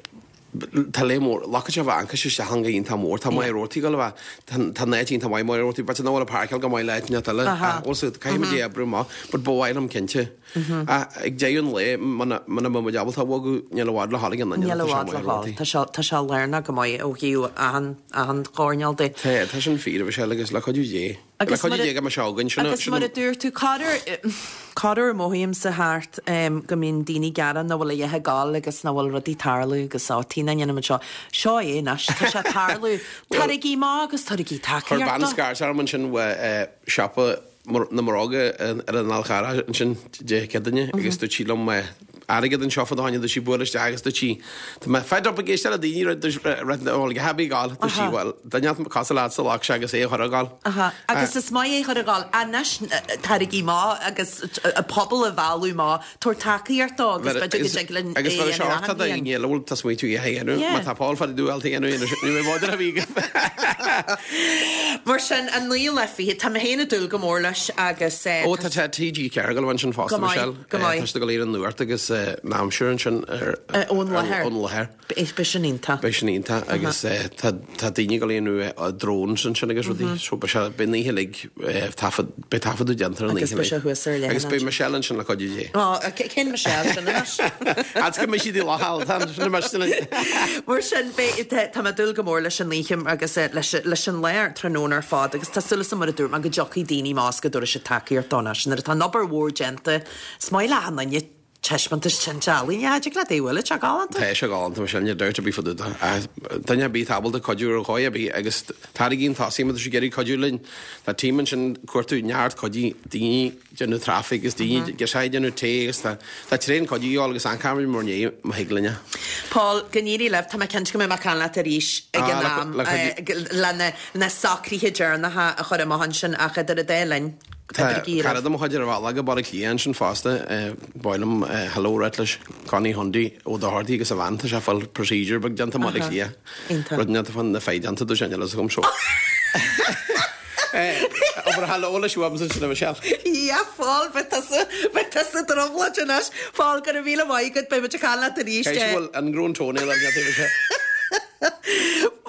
Tá leith mór, locáit a bheith ancais isteach an go iontach mór, tá Machaire Rabhartaigh ag dul a bheith, tá an áit iontach maith Machaire Rabhartaigh, b'fhéidir nach bhfuil an páirceáil go maith le áit inteacht eile, ach bhfuil so caithfidh muid é a oibriú amach, but ba mhaith liom cinnte. Ach ag deireadh an lae, muna muna mbeidh muid ábalta a bhogadh, níl i bhfad le dhul ag an Níl ionad, i tá sé bhfad le Machaire dhul, Rabhartaigh. tá sé, tá sé lárnach go maith ó thaobh achan, achan choirnéal de. Tá, tá sin fíor, Michelle, agus le cuidiú Dé. Le Agus cuidiú mar a Dé go mbeidh sé againn, sin Agus mar a dúirt tú, corruair, corruair mothaímse thart go mbíonn daoine ag gearán nach bhfuil a dhath ag gabháil agus nach bhfuil rudaí ag tarlú agus á, tí nach ndéanaimid seo. Seo é anois, tá sé ag tarlú. Tabharaigí amach agus tabharaigí Chuir tacaíocht bean dó. scairt orm ansin uaidh siopa na mBróga ar an Fhál Charrach ansin Dé Céadaoine agus dúirt sí liom airgead anseo fá do choinne, dúirt sí buail isteach agus dúirt sí tá mé fed up ag éisteacht le daoine rud rud bhuel go happy gal dúirt sí bhuel duine cosúil leatsa leag sé agus é a chur ag gabháil. Aha, agus is maith é a chur ag gabháil anois tabharaigí amach agus an pobal a mhealladh amach, tabhair tacaíocht dó agus b'fhéidir go dtig linn é Agus a bheadh sé dhéanamh ort achan do bhliain. dhaoine eile bhfuil tá smaointiú a dhéanamh Yeah. má tá Paul fada dúil a dhéanamh ní bheidh bád ar a bhí Mar sin, an naoú lá fichead, tá mé féin ag dúil go mór leis agus Ó tá tá TG4 ag dul ansin fosta Go maith, Michelle. go maith. Tá siad ag dul ar an nuacht agus an aimsir ansin ar Ón láthair. Ón láthair. Beidh sin iontach. Beidh sin iontach agus tá tá daoine ag dul a dhéanamh drones ansin agus rudaí so beidh sé beidh an oíche uilig taifead beidh taifeadadh déanta ar an Agus oíche beidh sé thuas ar leathanach. Agus beidh Michelle ansin le cuidiú Dé. Ó, cén Michelle sin anois? As go mbeidh siad i láthair, tá sin imeacht linn. Mar sin, beidh, tá mé ag dúil go mór leis an oíche agus leis leis an lá tráthnóna ar fad agus tá súil agam mar a dúirt mé go dtiocfaidh daoine amach is go dtabharfaidh siad tacaíocht dó anois. Nuair atá an obair mhór déanta, is maith le achan duine taispeántas tinte ealaíne, cha dtig leat é a bhualadh, tá sé galánta. Tá sé galánta, Michelle, níl dabht ar bith fá dtaobh de. Ach duine ar bith atá ábalta cuidiú ar dhóigh ar bith agus taraigí chun tosaigh má tá sibh ag iarraidh cuidiú linn, tá team ansin ag cuartú neart cuidí, daoine ag déanamh traffic agus daoine ag déanamh tae agus tá tá tréan cuidiú a dhíobháil agus amharcfaimid mar ndiaidh má thig linn é. Paul, go n-éirí libh, tá mé cinnte go mbeidh mé ag caint leat arís ag an am le na socruithe deireanacha a chur amach ansin ach idir an dá linn, Tá cara de mo chuid ar a bhealach go Baile Átha Cliath ansin fosta, ba mhaith liom hello a ráit leis, Connie Hundy Ó Dochartaigh agus a bhean, tá sé ag fáil procedure beag déanta i mBaile Átha Cliath. Rud déanta fán na feidhm déanta do sin eile agam seo. Abair hello leis uaimse ansin a Michelle. Yeah, Paul, beidh tusa, beidh tusa i dtrioblóid anois. Paul, go raibh míle maith agat, beidh muid ag caint leat arís. Caithfidh sé bhfuil ingrown toenail ar an taobh seo.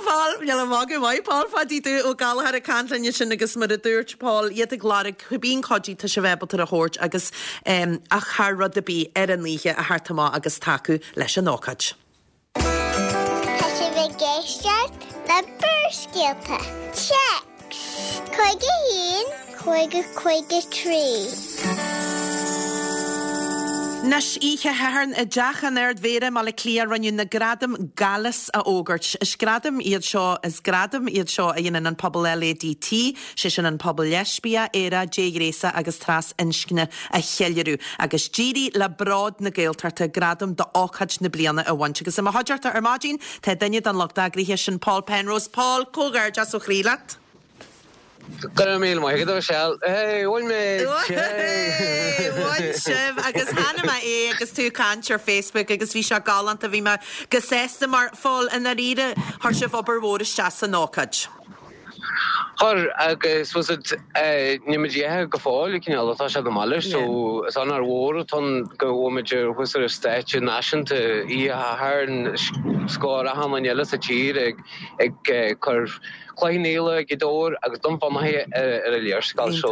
Paul, níl an magadh maith, Paul Phaidí Dubh Ó Gallchóir ag caint linn ansin agus mar a dúirt Paul, iad ag lorg cibé cuidiú tá sibh ábalta a thabhairt agus ach thar rud ar bith ar an oíche a theacht amach agus tacú leis an ócáid. Tá sibh ag éisteacht le Barrscéalta. Téacs 51 50 53. Anois, oíche Shathairn i dTeach an Ard-Mhéara i mBaile Átha Cliath rinneadh na Gradaim Galas a fhógairt. Is gradaim iad seo is gradaim iad seo a dhéanann an pobal LADT, sé sin an pobal leispiach, aerach, déghnéasach agus tras-inscne a cheiliúradh. Agus d'éirigh le Bród na Gaeltachta gradam d'ócáid na bliana a bhaint. Agus i mo chuideachta ar maidin tá duine den lucht eagraithe, sin Paul Penrose. Paul, comhghairdeas ó chroí leat. Go raibh míle maith agat, a Mhichelle. Hey, bhain muid! Hey, bhain sibh! Agus chonaic mé é agus tú ag caint ar Facebook agus bhí sé galánta, bhí mé go sásta mar, Phóil, i ndáiríre, chuir sibh obair mhór isteach san ócáid. Chuir, agus was it, níl muid imithe go fóill, cineál, tá sé go maith leis, so is onóir mhór atá ann go bhfuil muid ar thuas ar an stáitse náisiúnta oíche Shathairn, os comhair achan duine eile sa tír ag ag cur Cloich Cheann Fhaola, Gaoth Dobhair agus Dún Fionnachaidh ar an léarscáil so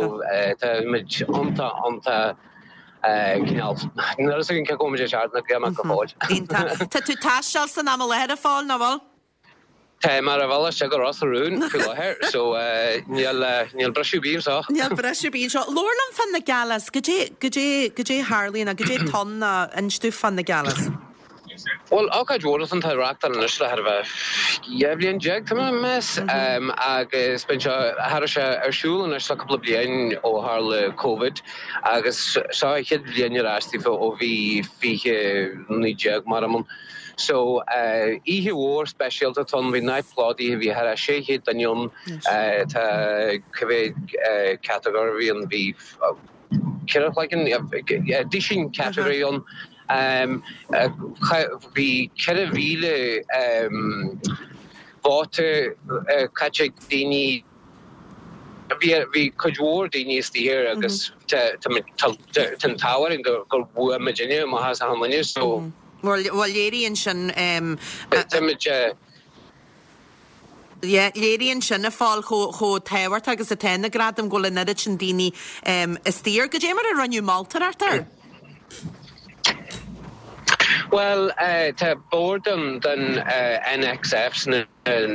tá muid iontach, iontach cineál, níl a fhios againn cé chomh muid ag teacht na go fóill. Iontach. Tá tú ag taisteal san am i láthair a Phóil, nach bhfuil? Tá mé ar an bhealach isteach go Ros na Rún faoi láthair so níl, níl briseadh ar bith anseo. Níl briseadh ar bith anseo. Labhair liom fá na galas, goidé, goidé, goidé a tharlaíonn nó goidé atá ann ná inis domh fá na galas. Bhuel, ócáid mhór atá ann, tá á reáchtáil anois le thar a bheith 12 bhliain, tá mé ag meas, agus bíonn sé, cha raibh sé ar siúl anois le cúpla bliain ó tharla Covid agus seo an chéad bhliain ar ais daofa ó bhí 2019 mar ann. So, oíche mhór speisialta atá ann, bhí an áit plódaithe, bhí thar a 600 duine ann, tá cá mhéad catagóir a bhí ann, bhí ceithre chloigeann, duisín category ann. Bhí 4,000 vóta caite ag daoine. Bhí cuid mhór daoine istigh air agus tá an t-ádh orainn gur bhuaigh muidinne amach as achan duine so. Bhuel léiríonn sin. Tá muid. Yeah, léiríonn sin, a Phóil, chomh tábhachtach agus atá na gradaim, go bhfuil an oiread sin daoine istigh air. Goidé mar a rinneadh moltóireacht air? Bhuel, tá bord den NXF,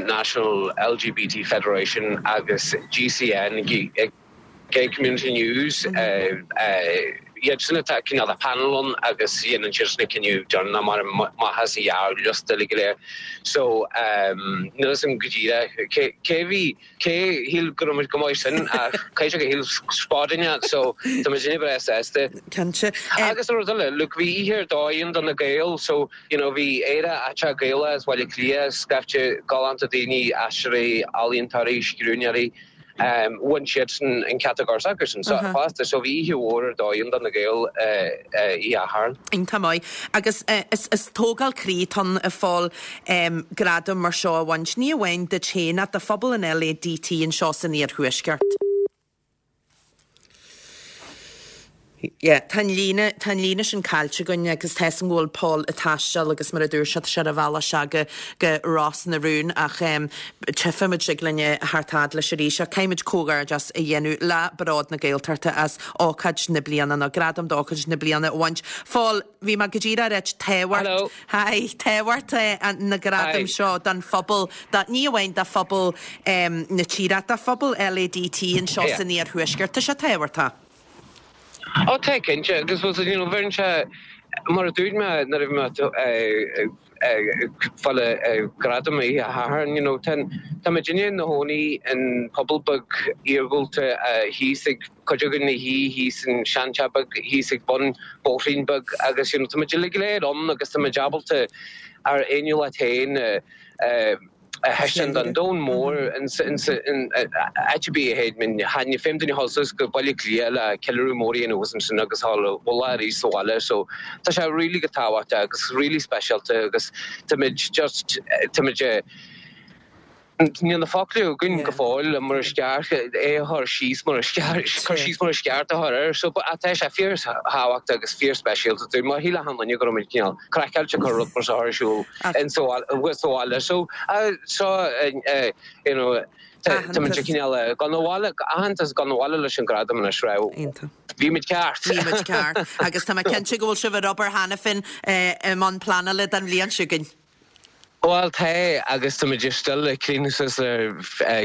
National LGBT Federation, agus GCN, Gay Community News, iad sin atá cineál de panel ann agus dhéanann siad na cinneadh deireanach mar maith as a ghearrliosta uilig go léir. So, níl fhios agam go díreach cé cé bhí, cé shíl go raibh muid go maith sin ach caithfidh sé gur shíl spáduine so tá muid inniu breá sásta. Cinnte. Agus an rud eile, look bhí oíche ar dóigh ann do na Gaeil so you know bhí Éire aiteach Gaelach as Baile Átha Cliath, scaifte galánta daoine, aisteoirí, ealaíontóirí, scríbhneoirí, Bhain siadsan an catagóir s'acusan fosta so bhí oíche mhór ar dóigh ann do na Gaeil oíche Shathairn. Iontach maith. Agus is tógáil croí atá ann a Phóil gradam mar seo a bhaint, ní amháin duit féin ach do phobal an LADT anseo san iarthuaisceart. Yeah, tá an líne, tá an líne sin caillte againn agus tá 'fhios a'm go bhfuil Paul ag taisteal agus mar a dúirt sé, tá sé ar a bhealach isteach go, go Ros na Rún ach em tchífimid tig linn a theacht fhad leis arís ach caithfimid comhghairdeas a dhéanamh le Bród na Gaeltachta as ócáid na bliana nó gradam d'ócáid na bliana a bhaint. Phóil, bhí mé go díreach ag ráit tábhacht, Hello. Hi, tábhacht na gradaim Hi. seo don phobal, do, ní amháin do phobal em na tíre ach do phobal LADT anseo Yeah. san iarthuaisceart. Tá sé tábhachtach. Ó tá cinnte agus bhuel you know bheireann sé mar a dúirt mé nuair a bhí mé ag fáil an gradam oíche Shathairn you know tá tá muidinne ina gcónaí in pobal beag iargúlta thíos ag cuid againn ina shuí thíos in seanteach beag thíos ag bun bóithrín beag agus you know tá muid uilig go léir ann agus tá muid ábalta ár fhéiniúlacht féin a a thaispeáint don domhan mór in áit ar bith a théid muid. Ní féidir duine a dhul suas go Baile Átha Cliath le ceiliúradh mór a dhéanamh thuas ansin agus a dhul abhaile arís sa bhaile so tá sé really go tábhachtach agus really speisialta agus táimid just táimid níl na focla againn go fóill mar is ceart é a chur síos mar is ceart cur síos mar is ceart a chur air so tá sé fíor thábhachtach agus fíor speisialta dúinn mar shíl achan duine go raibh muid cineál craiceáilte ag cur rud mar seo ar siúl in sa bhaile. So, so, you know, tá muid cineál ag dul abhaile, aitheantas ag dul abhaile leis an gradam anois, raibh. Bhí muid ceart. Bhí muid ceart. Agus tá mé cinnte go bhfuil sibh ar obair cheana féin i mbun pleanála don bhliain seo chugainn. Bhuel tá, agus tá muid still ag críochnú suas le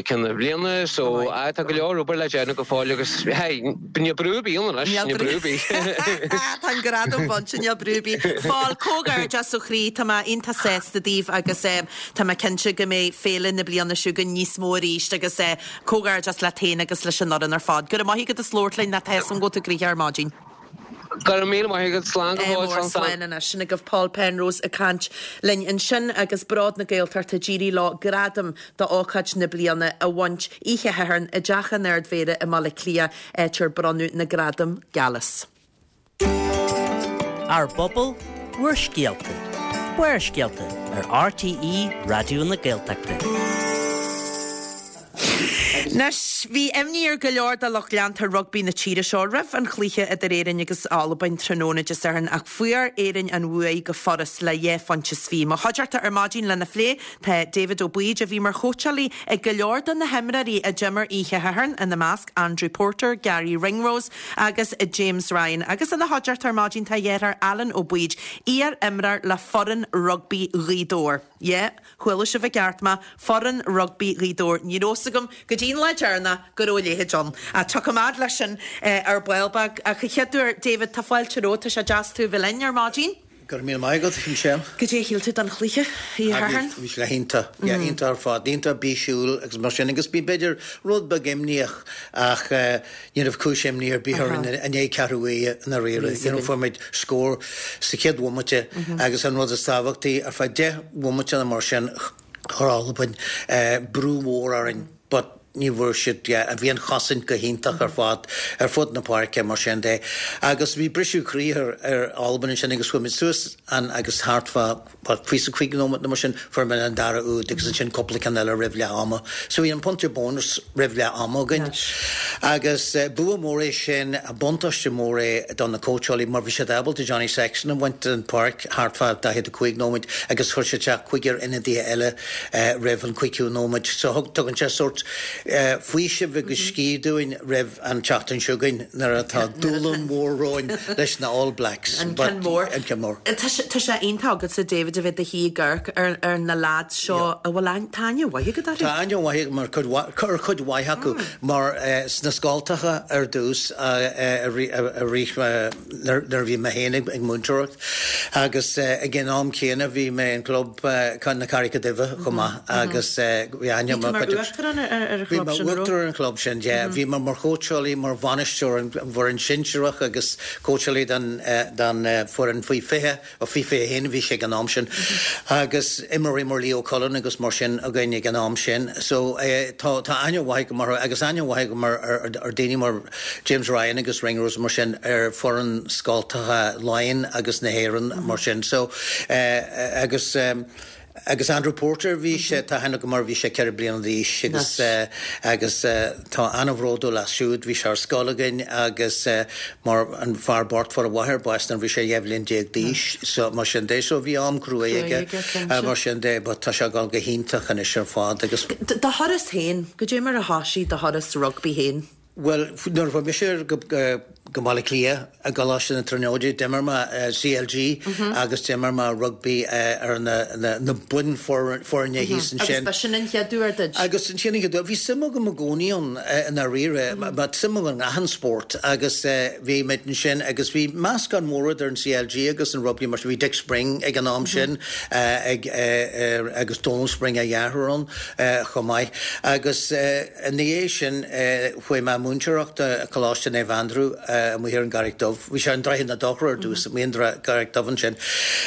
ceann na bliana so aye tá go leor obair le déanamh go fóill agus hey, níl brú ar bith ann anois, níl brú ar bith. Tá an gradam bainte, níl brú ar bith. Paul, comhghairdeas ó chroí, tá mé iontach sásta daoibh agus tá mé cinnte go mbeidh féile na bliana seo chugainn níos mó arís agus comhghairdeas leat féin agus leis an fhoireann ar fad. Go raibh maith agat as labhairt linn, tá a fhios agam go bhfuil tú gnoitheach ar maidin. Go raibh míle maith agat, slán go fóill, slán slán. Slán anois. Sin agaibh Paul Penrose ag caint linn ansin agus Bród na Gaeltachta ag éirí leo gradam d'ócáid na bliana a bhaint oíche Shathairn i dTeach an Ardmhéara i mBaile Átha Cliath, áit ar bronnadh na gradaim Gallus. Ár bpobal, bhur scéalta. Barrscéalta ar RTÉ Raidió na Gaeltachta. Anois, bhí imní ar go leor de lucht leanta rugbaí na tíre seo roimh an chluiche idir Éirinn agus Albain tráthnóna Dé Sathairn ach fuair Éirinn an bhuaidh go furast le dhá phointe is fiche. Mo chuideachta ar maidin lena phlé tá David Ó Baoid a bhí mar chóitseálaí ag go leor de na himreoirí a d'imir oíche Shathairn, ina measc Andrew Porter, Garry Ringrose agus James Ryan. Agus ina chuideachta ar maidin tá a dheartháir Alan Ó Baoid, iar-imreoir le foireann rugbaí Ghaoth Dobhair. Yeah. Chuala sibh i gceart mé, foireann rugbaí Ghaoth Dobhair. Ní raibh fhios agam go dtí an lá deireanach go raibh a leithéid ann. Ach tiocfaidh muid leis sin ar ball beag. Ach a chéaduair, David, tá fáilte romhat, tá sé deas tú a bheith linn ar maidin. Go raibh míle maith agat, Michelle. Goidé a shíl tú den chluiche oíche Shathairn? Bhí sé iontach, yeah, iontach ar fad, iontach bísiúil agus mar sin agus bhí b'fhéidir rud beag imníoch ach Ní raibh cúis imní ar bith orainn i ndiaidh ceathrú uaire i ndáiríre. You know, fuair muid scór sa chéad bhomaite agus an rud is tábhachtaí, ar feadh 10 bhomaite nó mar sin, chuir Albain brú mhór orainn but ní bhfuair siad, yeah, bhí an chosaint go hiontach ar fad ar fud na páirce mar sin de. Agus bhí briseadh croí ar ar Albain ansin agus chuaigh muid suas an agus thart fá About 25 nóiméad nó mar sin, fuair muid an dara úd agus ansin cúpla ceann eile roimh leath ama. So bhí an pointe bónus roimh leath ama againn. Agus bua mór é sin, buntáiste mór é do na cóitseálaí mar bhí siad ábalta Johnny Sexton a bhaint den pháirc thart fá 45 nóiméad agus chuir siad isteach cúigear ionadaithe eile roimh an 50ú nóiméad. So tugann sé sórt faoisimh agus scíth dúinn roimh an tseachtain seo chugainn nuair atá dúshlán mhór romhainn leis na All Blacks. An ceann mór. An ceann mór. Tá sé iontach agatsa David a bheith i do shuí ag amharc ar na lads seo a bhfuil aithne, tá aithne mhaith agat orthu. Tá aithne mhaith agam ar chuid mhaith acu mar sna scoltacha ar dtús i rith nuair a bhí mé féin ag múinteoireacht agus ag an am céanna bhí mé in club na Carraice Duibhe chomh maith agus bhí aithne Bhí tú mar uachtarán ar an chlub sin, an raibh? Bhí mé uachtarán ar an chlub sin, yeah. Bhí mé mar chóitseálaí, mar bhainisteoir an bhfoireann sinsearach agus cóitseálaí don don foireann faoi 20, ó faoi 21 a bhí sé ag an am sin. Agus imreoirí mar Leo Cullen agus mar sin againn ag an am sin. So tá tá aithne mhaith agam orthu agus aithne mhaith agam ar ar ar daoine mar James Ryan agus Ringrose mar sin ar foireann scoltacha Laighean agus na hÉireann mar sin. So agus agus Andrew Porter bhí sé tá aithne agam air bhí sé 4 bliana d'aois agus agus tá an-bhródúil as siúd bhí sé ar scoil againn agus mar an fear bocht fuair a mháthair bás nuair bhí sé 12 bhliain d'aois so mar sin de so bhí am cruaidh aige mar sin de but tá sé ag dul go hiontach anois ar fad agus Do thuras féin, goidé mar a thoisigh do thuras rugbaí féin? Bhuel, nuair a chuaigh mise go Baile Átha Cliath i gColáiste na Tríonóide, d'imir mé CLG agus d'imir mé rugbaí ar na bunfhoirne thíos ansin. Agus b'shin an chéad uair duit? Agus sin an chéad uair. Bhí suim agam i gcónaí ann i ndáiríre, but suim agam in achan spórt agus bhí muid ansin agus bhí meascán mór idir an CLG agus an rugbaí mar bhí Dick Spring ag an am sin ag agus Donal Spring a dheartháir ann chomh maith agus Ina dhiaidh sin chuaigh mé ag múinteoireacht i Coláiste Naomh Aindriú amuigh ar an gCarraig Dubh. Bhí sé i nDroichead na Dothra ar dtús, amuigh an gCarraig Dubh ansin.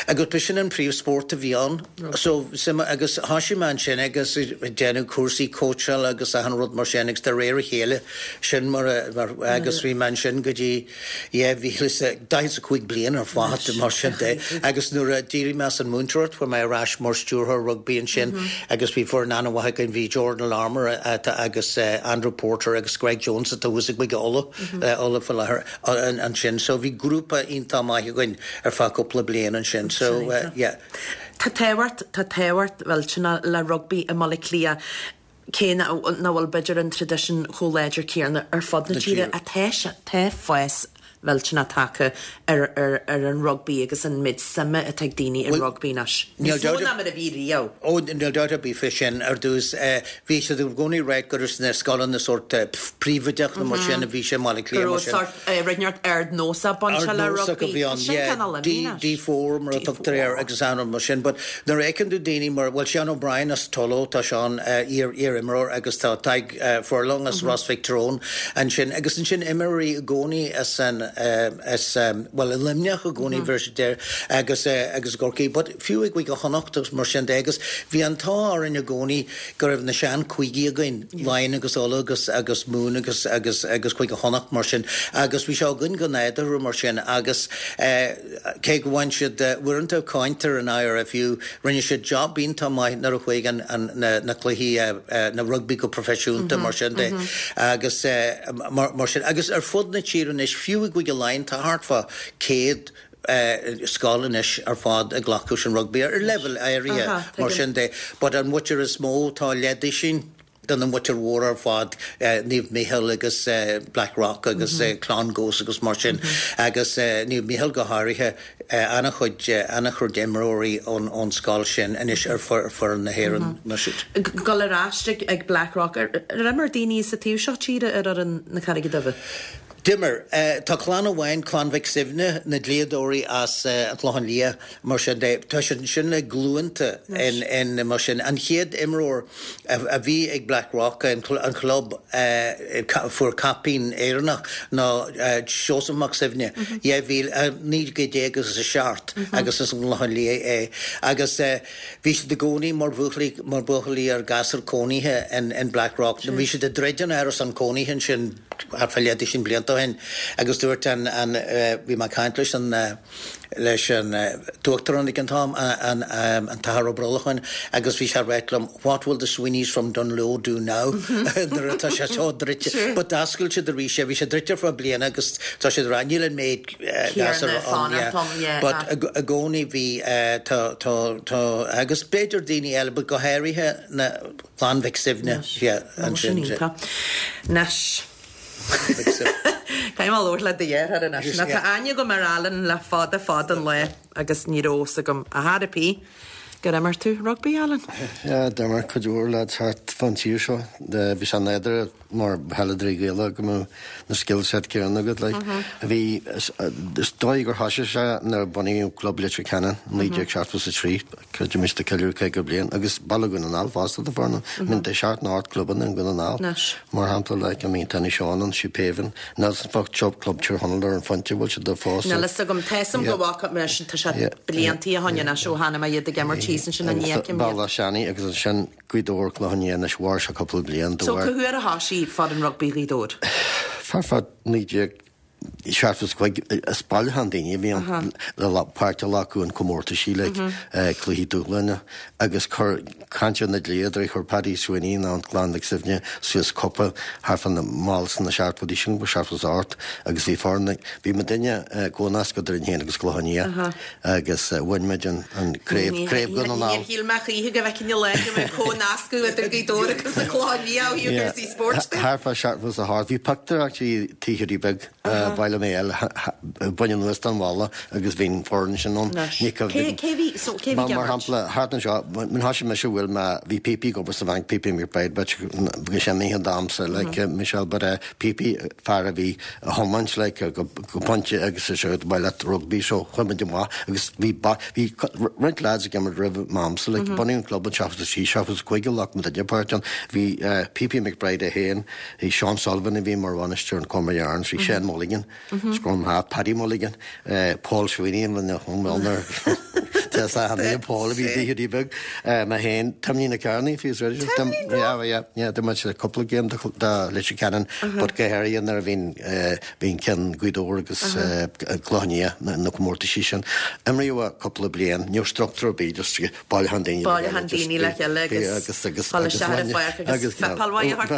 Agus b'shin an príomhspórt a bhí ann. So, suim, agus thoisigh mé ansin agus ag déanamh cúrsaí cóitseála agus achan rud mar sin agus de réir a chéile, sin mar a, mar, agus bhí mé ansin go dtí, Yeah, bhí 45 bliain ar fad mar sin de agus nuair a d'éirigh mé as an múinteoireacht chuaigh mé ar ais mar stiúrthóir rugbaí ansin agus bhí foireann an-mhaith againn, bhí Jordan Larmour agus Andrew Porter agus Greg Jones atá thuas i gCúige Uladh, Uladh faoi láthair ansin. So bhí grúpa iontach maith againn ar feadh cúpla bliain ansin. So yeah. Tá tábhacht, tá tábhacht mhillteanach le rugbaí i mBaile Átha Cliath. Cé nach bhfuil b'fhéidir an traidisiún chomh láidir céanna ar fud na tíre, tá sé, tá fás. mhillteanach tagtha ar ar ar an rugbaí agus an méid suime atá ag daoine i rugbaí anois. Níos mó ná mar a bhí riamh. Ó, níl dabht ar bith fé sin. Ar dtús, bhí siad i gcónaí ag ráit gur sna scoileanna sórt príobháideach nó mar sin a bhí sé i mBaile Átha Cliath Go mar raibh sin. sórt rud inteacht ardnósach bainte le Ardnósach a rugbaí. bhí Tá ann, sin yeah. cineál D, imithe anois. D4 mar a tugtar air agus ann mar sin. But nuair a fheiceann tú daoine mar, bhuel, Seán O'Brien as Tullow, tá Seán, iar, iar-imreoir agus tá Tadhg Furlong as Ros Mhic Thriúin ansin agus ansin imreoirí i gcónaí as an, as, bhuel, i Luimneach i gcónaí bhí siad there agus, agus i gCorcaigh but fiú i gCúige Chonnacht agus mar sin de agus bhí an t-ádh orainn i gcónaí go raibh na sean cúigí againn, Laighin agus Uladh agus, agus Mumhan agus, agus, agus Cúige Chonnacht mar sin agus bhí sé againn go nádúrtha mar sin agus eh cé go bhain siad uaireanta cáint ar an IRFU, rinne siad job iontach maith nuair a chuaigh an, an, na, na cluichí eh na rugbaí go proifisiúnta mar sin de agus eh mar, mar sin agus ar fud na tíre anois fiú i gCúige Laighean tá thart fá 100 scoil anois ar fad ag glacadh leis an rugbaí ar leibhéal áirithe mar sin de but an mhuintir is mó tá leathduisín de na muintir mhóra ar fad, Naomh Micheál agus Blackrock agus Clongowes agus mar sin agus Naomh Micheál go háirithe, an-chuid an-chuid imreoirí ón scoil sin anois ar foireann na hÉireann nó siad. Dul ar ais ag Blackrock, ar imir daoine sa taobh seo tíre ar fhoireann na Carraige Duibhe? D'imir. Tá clann amháin, Clann Mhic Suibhne, na dlíodóirí as an Chlochán Liath, mar sin de. Tá siad ansin le glúnta in mar sin. An chéad imreoir a bhí ag Blackrock, an club a fuair caipín Éireannach, ná Seosamh Mac Suibhne, 2000, 19 agus a seacht agus as an gClochán Liath é. Agus bhí siad i gcónaí mar bhuachaillí, mar bhuachaillí ar ghasúir cónaithe in Blackrock. Bhí siad ag druid an árasán cónaithe ansin. thart fá leathdhuisín blianta ó shin agus dúirt an, an, bhí mé ag caint leis an, leis an t-uachtarán ag an t-am, an, an tAthair Ó Brolacháin agus bhí sé ag ráit liom what will the Sweeneys from Dungloe do now nuair atá sé seo druidte. But d'oscail siad arís é, bhí sé druidte ar feadh bliana agus tá siad ag rá níl an méid gasúr ann, yeah. But i gcónaí bhí, tá, tá, tá, agus b'fhéidir daoine eile but go háirithe na, Clann Mhic Suibhne, yeah, ansin. Anois. Caithfidh mé labhairt le do dheartháir anois. Nó tá aithne agam ar Alan le fada fada an lá agus ní raibh fhios agam ar chor ar bith gur imir tú rugbaí, Alan. Yeah, d'imir cuid mhór lads thart fán tír seo. Bhí sé nádúrtha mar pheileadóirí Gaelacha go mbeadh na skill set céanna agat like. Bhí, is dóigh gur thosaigh sé nuair a bunaíodh Club Leitir Ceanainn i 1973, Creidim ag ceiliúradh 50 bliain agus Baile Dhún na nGall fosta tá foirne, I mean tá seacht nó ocht clubanna i nDún na nGall mar shampla like I mean tá Inishowen ann, Sheephaven, níl 's agam fá Club Tír Chonaill ar an Phointe bhfuil siad fós. Níl fhios agam, tá fhios agam go bhfaca mé sin, tá sé bliantaí ó shin anois ó chonaic mé iad ag imirt thíos ansin ní fheicim iad. Bealach Seanaidh agus ansin Gaoth Dobhair Clochán Liath anois mhair sé cúpla bliain de So cá huair a thosaigh foireann rugbaí Ghaoth Dobhair? Thart fá 1975 is bailiúchán daoine a bhí ann le páirt a ghlacadh in comórtaisí like cluichí dúshláin agus chuir caint ar na dlíodóirí chuir Paddy Sweeney nó an Clann Mhic Suibhne suas cupa thart fá na mall sna seachtóidí sin 78 agus bhí foireann bhí muidinne comhnasctha idir muid féin agus Clochán Liath. agus bhain muid an craobh, Craobh Dhún na nGall. Níor shíl mé choíche go bhfeicfinn an lá go mbeadh comhnascadh idir Gaoth Dobhair agus an Clochán Liath ó thaobh cúrsaí spóirt de. Thart fá 78, bhí pictiúr actually Tigh Hiúdaí Beag, Baile Mhéal, bain anuas den bhalla agus bhí an foireann sin ann. Cé bhí, so cé bhí ag imirt? Mar shampla, thart anseo, nuair a thosaigh mise bhuel mé, bhí Píopaí ag obair sa bhanc, Píopaí McBride, but bhí sé imithe domsa, like Michelle, but Píopaí, fear a bhí a thiomáint like go pointe agus is ea ba mhaith leat rugbaí so chuaigh muid amach agus bhí bhí roinnt lads ag imirt roimh m'amsa like bunaíodh an club in 73, 75 a ghlac muidinne páirt ann. Bhí P.P. McBride é féin, bhí Seán Sullivan a bhí mar bhainisteoir an Cormac Yarns, bhí Shane Mulligan, scrum half, Paddy Mulligan, Paul Sweeney an owner Tá Paul a bhí i dTigh Beag, mé féin, Timlín Kearney, if he's ready. Timlín Yeah, yeah, yeah, d'imir muid cúpla game do Leitir Ceanainn, but go háirithe nuair a bhíonn bhíonn ceann Gaoth Dobhair agus Clochán Liath na comórtaisí sin. Imríodh cúpla bliain, ní raibh struchtúr ar bith, just bailiúchán daoine le chéile. Bailiúchán daoine le chéile agus agus dul isteach ar an pháirc agus fuipeáil mhaith a thabhairt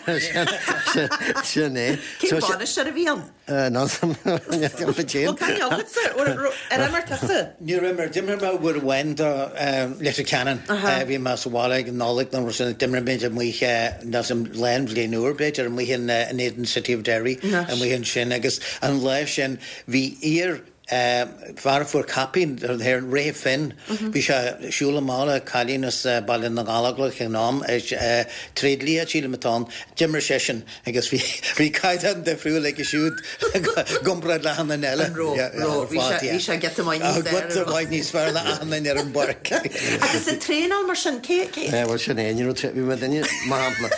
dá chéile. Sin é. Cén bainisteoir a bhí ann? Bhuel, cá agatsa? Ar imir tusa? Níor imir. D'imir mé. Cuimhne uair amháin do Leitir Ceanainn, bhí mé sa bhaile ag an Nollaig nó sin, d'imir muid amuigh nó san lá an bhliain úr b'fhéidir amuigh in éadan City of Derry amuigh ansin agus an lá sin bhí iar fear a fuair caipín na hÉireann, Ray Finn, bhí sé ag siúl amach le cailín as Baile na nGallóglach ag an am, tréidlia sílim atá ann, d'imir seisean agus bhí bhí caighdeán difriúil aige siúd i gcomparáid le achan duine eile. An raibh? Raibh. Bhí sé bhí sé giota maith níos fearr. Giota maith níos fearr ná achan duine ar an bpáirc. Agus an traenáil mar sin, cé cé? Bhuel sin é, ní raibh bhí muid duine, mar shampla,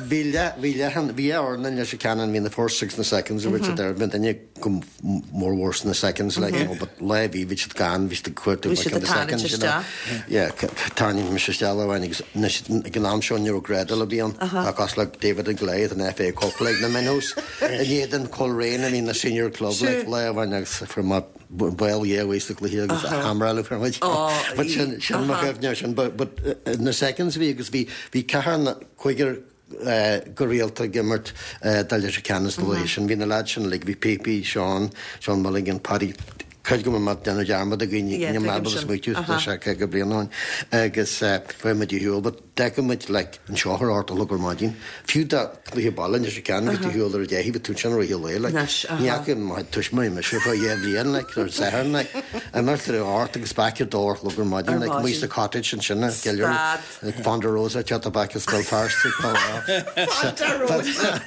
bhí leath bhí leath an bhí dhá fhoireann in Leitir Ceanainn, bhí na first agus na seconds a bhí siad ar, bhí duine go mórmhór sna seconds like you know but lá bhí bhí siad gann bhí siad ag cuartú Bhí siad ag tarraingt isteach. Yeah tarraingíonn mise isteach lá amháin agus anois ag an am seo ní raibh grádáil ar bith ann ach cosúil le David and Goliath an FA Cup like na minnows in éadan Coleraine a bhí na senior club like lá amháin agus fuair mé ball dhé uaidh sa gcluiche agus hammeráladh fuair muid but sin sin mo chuimhne sin but but na seconds a bhí agus bhí bhí ceathair na cúigear go rialta ag imirt do Leitir Ceanainn sna laetha sin. Bhí na leaids sin uilig, bhí Píopaí, Seán, Seán Mulligan, Paddy, cuid go mbeadh mé ag déanamh dearmad de dhaoine, níl mé ábalta smaoitiú, tá sé 50 bliain ó shin, agus bheadh muid ar shiúl, but d'fheicfeadh muid like anseo ar ocht a chlog ar maidin, fiú dá cluiche baile i Leitir Ceanainn agus tú ar shiúl ar a deich, bhí tú ansin i rith an lae like. Ní fhaca mo tuismitheoirí mise fá dheich mbliain like, ar an Satharn like, imirt ar a hocht agus back ar dó a chlog ar maidin like, amuigh sa cottage ansin i gCill Stad. Like Ponderosa teacht back as Béal Feirste Ponderosa.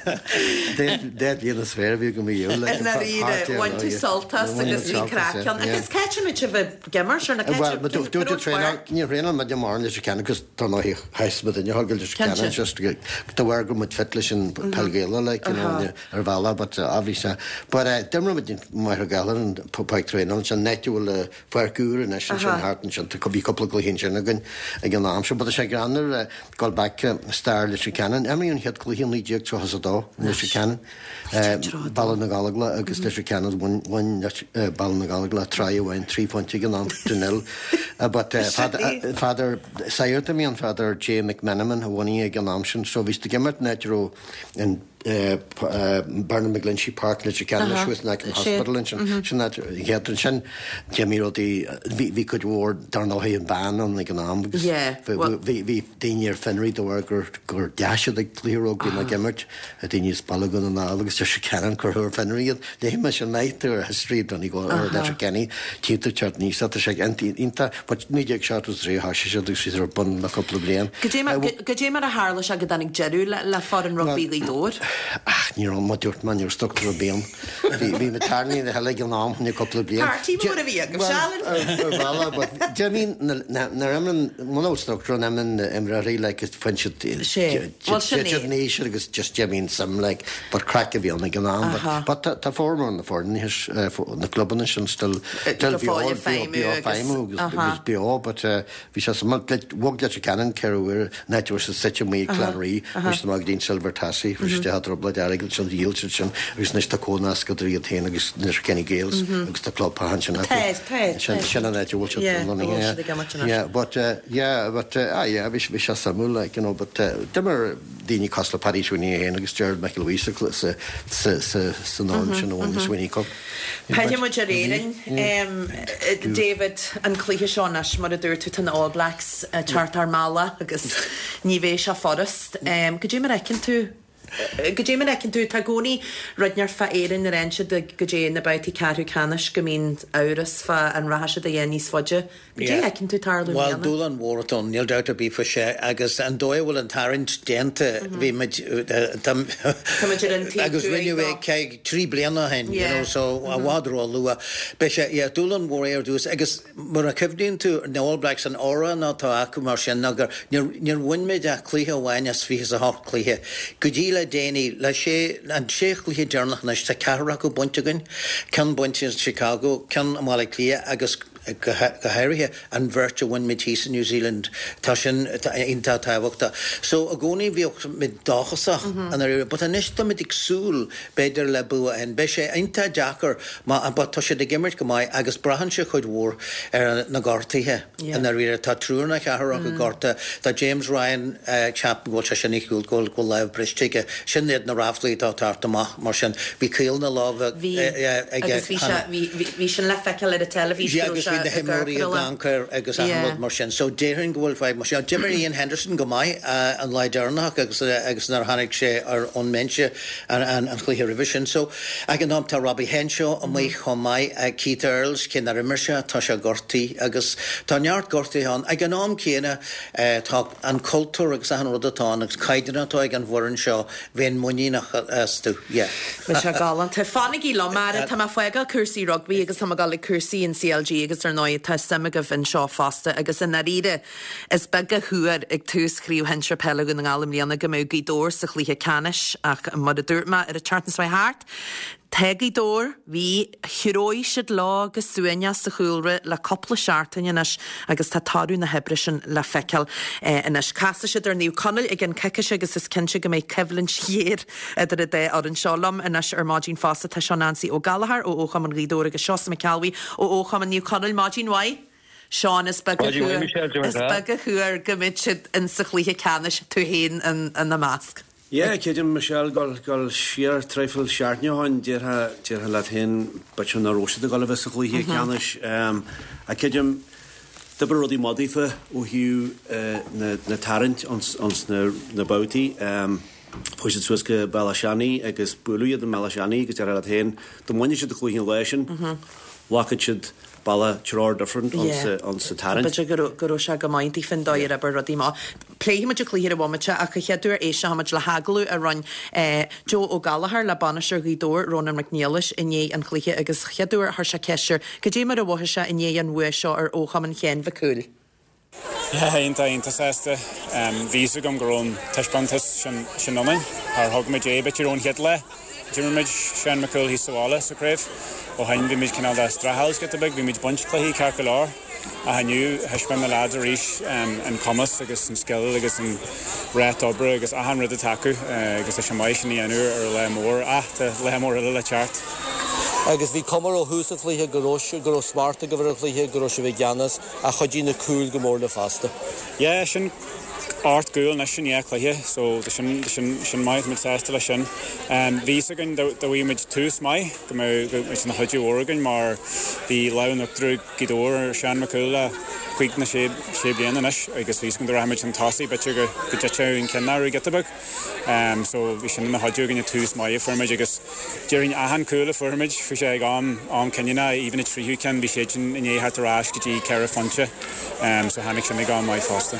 Deich mbliana is fearr a bhí agam riamh like I ndáiríre, bhain tú sult as agus bhí craic ann. Agus cá háit a mbíodh sibh ag imirt ar na cá Well, but dúirt tú traenáil, níor thraenáil muid mórán Leitir Ceanainn agus tá ná sheas muid inne thug Leitir Ceanainn just de bharr go muid fit leis an peil Ghaelach like you know ar bhealach but obviously but d'imir muid in Machaire Gathlán an páirc traenála ansin an áit a bhfuil Pháirc úr anois ansin thart ansin. Tá bhí cúpla cluiche ansin againn ag an am seo. But tá sé greannmhar dul back stair Leitir Ceanainn. Imríodh an chéad cluiche i 1932 i Leitir Ceanainn. Baile na Gallóglach agus Leitir Ceanainn bhain bhain Baile na Gallóglach tráth amháin trí phointe ag an am to nil. But Father Sagart a bhí ann Father J McMenamin a bhunaigh ag an am sin. So bhí siad ag imirt in áit a raibh an Bernard McGlinchey Park Leitir Ceanainn thuas in aice an hospital ansin. Sin áit an chéad ansin d'imigh rudaí bhí cuid mhór dar ndóigh an ban ann ag an am agus bhí daoine ar fionraí de bharr gur gur d'fhéach siad ag cluiche rugbaí nó ag imirt daoine as Baile Dhún na nGall agus Leitir Ceanainn cuireadh ar fionraí iad. Léigh mé sin maith ar history Donegal or Letterkenny tchí tú teacht aníos tá sé iontach but 1973 a thoisigh siad agus bhí siad ar bun le cúpla bliain. Goidé mar a tharla sé go dtáinig deireadh le foireann rugbaí Ghaoth Dobhair? Ach ní raibh, mar dúirt mé, ní raibh struchtúr ar bith ann. Bhí bhí na tairní na heile ag an am chun cúpla bliain. Páirtí mór a bhí agaibh, seal? Ar bhealach, but do you mean nuair imreann, muna bhfuil struchtúr ann imreann na imreoirí like is faigheann siad Sé, bhuel sin é. Titeann aois agus just do you mean suim like but craic a bhí ann ag an am but but tá tá formhór na foirne na clubanna sin still still Go beo fóill ag beo feidhmiú beo agus feidhmiú agus aha. agus beo but bhí sé suimiúil like bhog Leitir Ceanainn ceithre huaire an áit a raibh siad suite amuigh ag Clann Rí chuaigh siad amach go dtí an Silver Tassie fuair siad isteach i dtrioblóid airgid ansin dhíol siad sin agus anois tá comhnasc idir iad féin agus Letterkenny Gaels agus tá club ansin acu Tá tá sin tá sin an áit a bhfuil siad Yeah, a bhfuil lonnaithe siad ag imirt anois. yeah but yeah but ah yeah bhí bhí sé suimiúil like you know but d'imir daoine cosúil le Paddy Sweeney é féin agus Gerard McElwee sa sa sa sa san fhoireann sin a bhain na Sweeney Cup. Pillfidh muid ar Éirinn. David, an cluiche seo anois, mar a dúirt tú, tá na All Blacks ag teacht ár mbealach agus ní bheidh sé furast. Goidé mar a fheiceann tú, goidé mar a fheiceann tú, tá i gcónaí rud inteacht fá Éirinn nuair a fhaigheann siad go dtí na babhtaí ceathrú ceannais go mbíonn amhras fá an rachaidh siad a dhath níos faide. Goidé a fheiceann tú tarlú i Bhuel, mbliana? dúshlán mhór atá ann, níl dabht ar bith faoi sin, agus an dóigh a bhfuil an tarraingt déanta, bhí muid, Tá muid ar an taobh agus thuaidh rinneadh é dó. ceithre, trí bliana ó shin, you Yeah. know, so i bhfad ró-luath. Beidh sé, yeah, dúshlán mhór é ar dtús, agus mar a chuimhníonn tú, na All Blacks, an aura atá acu mar sin ná gur, níor, níor bhain muid ach cluiche amháin as 28 cluiche. Go dtí le déanaí, le sé, an sé chluiche deireanach anois, tá ceathrar acu bainte againn, ceann bainte in Chicago, ceann i mBaile Átha Cliath agus, go háirithe an bheirt a bhain muid thíos i New Zealand, tá sin iontach tábhachtach. So i gcónaí bhíodh muid dóchasach i ndáiríre, but anois tá muid ag súil b'fhéidir le bua ann. Beidh sé iontach deacair má, but tá siad ag imirt go maith agus braitheann sé cuid mhór ar na gortuithe i ndáiríre. Tá triúr nó ceathrar acu gortaithe, tá James Ryan, ceapaim go bhfuil sé sin ar shiúl, go bhfuil lámh briste aige. Sin iad na ráflaí atá ag teacht amach. Mar sin, bhí caol na láimhe Bhí, aige agus bhí sé, cheana. bhí, bhí sin le feiceáil ar an teilifís Yeah, go raibh agus sé. Bhí na himreoirí ag amharc air agus achan rud mar sin. So déarfainn go bhfuil fadhb mar sin. D'imir Ian Henderson go maith an lá deireanach agus agus nuair a tháinig sé ar ón mbinse an chluiche roimhe sin. So ag an am tá Robbie Henshaw amuigh chomh maith, Keith Earls, cé nár imir sé, tá sé gortaithe agus tá neart gortuithe ann. Ag an am céanna tá an cultúr agus achan rud atá ann agus caighdeán atá ag an bhfoireann seo, bheinn muiníneach astu, yeah. Beidh sé galánta. Fanaigí liom, ara. Tá mé ag fágáil cúrsaí rugbaí agus tá mé ag dul ag cúrsaí an CLG agus ar ndóigh tá suim agaibh anseo fosta agus i ndáiríre is beag a thuar ag tús Chraobh Shinsir Peile Dhún na nGall i mbliana go mbeadh Gaoth Dobhair sa chluiche ceannais ach mar a dúirt mé ar an tseachtain seo thart, Tá Gaoth Dobhair, bhí, threabh siad leo go suaimhneach sa chúlra le cúpla seachtain anois agus tá toradh na hoibre sin le feiceáil anois. Casfaidh siad ar Naomh Conaill i gceann coicíse agus is cinnte go mbeidh coimhlint ghéar idir an dá fhoireann seo. Liom anois ar maidin fosta tá Seán Ansaí Ó Gallchóir ó Fhochumann Ghaoth Dobhair agus Seosamh Mac Ceallbhuí ó Fhochumann Naomh Conaill. Maidin mhaith. Seán, is beag a thuar, is beag a thuar go mbeidh siad in sa chluiche ceannais, tú féin ina measc. Yeah, creidim, Michelle, gabháil, gabháil siar traidhfil seachtaine ó shin, déarfá, déarfá leat féin, b'fhéidir nach raibh siad ag dul a bheith sa chluiche ceannais. Ach creidim, d'oibrigh rudaí maith daofa ó thaobh na, na tarraingt ins, ins na, na babhtaí. Chuaigh siad suas go Bealach Seanaidh agus buaileadh iad i mBealach Seanaidh agus déarfá leat féin, dá mbainfeadh siad an cluiche an lá sin, bhfágfadh siad bealach treoir different ins an tarraingt. B'fhéidir go raibh, go raibh sé go maith daofa an dóigh ar oibir rudaí amach. Pléifidh muid an cluiche ar an bhomaite ach a chéad uair éistfidh muid le hagallamh a rinne Joe Ó Gallchóir le bainisteoir Ghaoth Dobhair, Rónán Mac Niallais i ndiaidh an chluiche agus chéad uair chuir sé ceist air cad é mar a mhothaigh sé i ndiaidh an bhua seo ar Fhochumann Sheáin Mhic Cumhaill. Yeah, iontach, iontach sásta. Bhí fhios agam go raibh an taispeántas sin, sin ionainn. Char thug muid é b'fhéidir ón chéad lá. D'imir muid Seán Mac Cumhaill thíos sa bhaile sa chraobh. Ó shin bhí muid cineál de streachailt giota beag, bhí muid ag baint cluichí ceart go leor. Ach inniu thaispeáin na leaids arís an cumas agus an scil agus an ráta oibre agus achan rud atá acu agus tá sé maith sin a dhéanamh ar lá mór. Ach tá lá mór eile le teacht. Agus bhí cuma ó thús an chluiche go raibh go raibh smacht agaibh ar an chluiche, go raibh sibh i gceannas. Ach chuidigh na cúil go mór libh fosta. Yeah, sin 8 gcúl anois in 2 cluiche so tá sin, sin, sin maith, tá muid sásta leis sin. Bhí fhios againn dá bhfaigheadh muid tús maith go mbeadh, go mbeadh sé ina chuidiú mhór againn mar bhí lámh in uachtar ag Gaoth Dobhair ar Seán Mac Cumhaill le cúig nó sé, sé bliana anois agus bhí fhios againn dá rachadh muid chun tosaigh b'fhéidir go, go dtitfeadh an ceann orthu giota beag. So bhí sin ina chuidiú againn an tús maith a fuair muid agus déarfainn achan cúl a fuair muid, bhí sé ag am, am cinniúnach, even an tríú ceann, bhí siad sin i ndiaidh theacht ar ais go dtí ceithre phointe. So tháinig sin ag am maith fosta.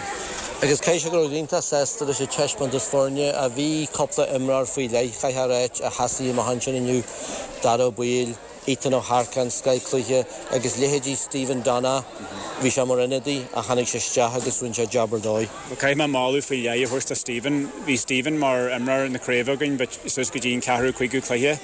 Agus caithfidh sé go raibh iontach sásta leis an taispeántas foirne a bhí cúpla imreoir faoi leith, chaithfeá a ráit, a sheasaigh amach ansin inniu, Dara Ó Baoill, Ethan Ó hEarcáin, scothchluiche, agus leithéidí Stephen Donagh, bhí sé mar ionadaí ach tháinig sé isteach agus rinne sé jab ar dóigh. Bhuel, caithfidh mé moladh faoi leith a thabhairt do Stephen. Bhí Stephen mar imreoir na craoibhe againn but suas go dtí an ceathrú, cúigiú cluiche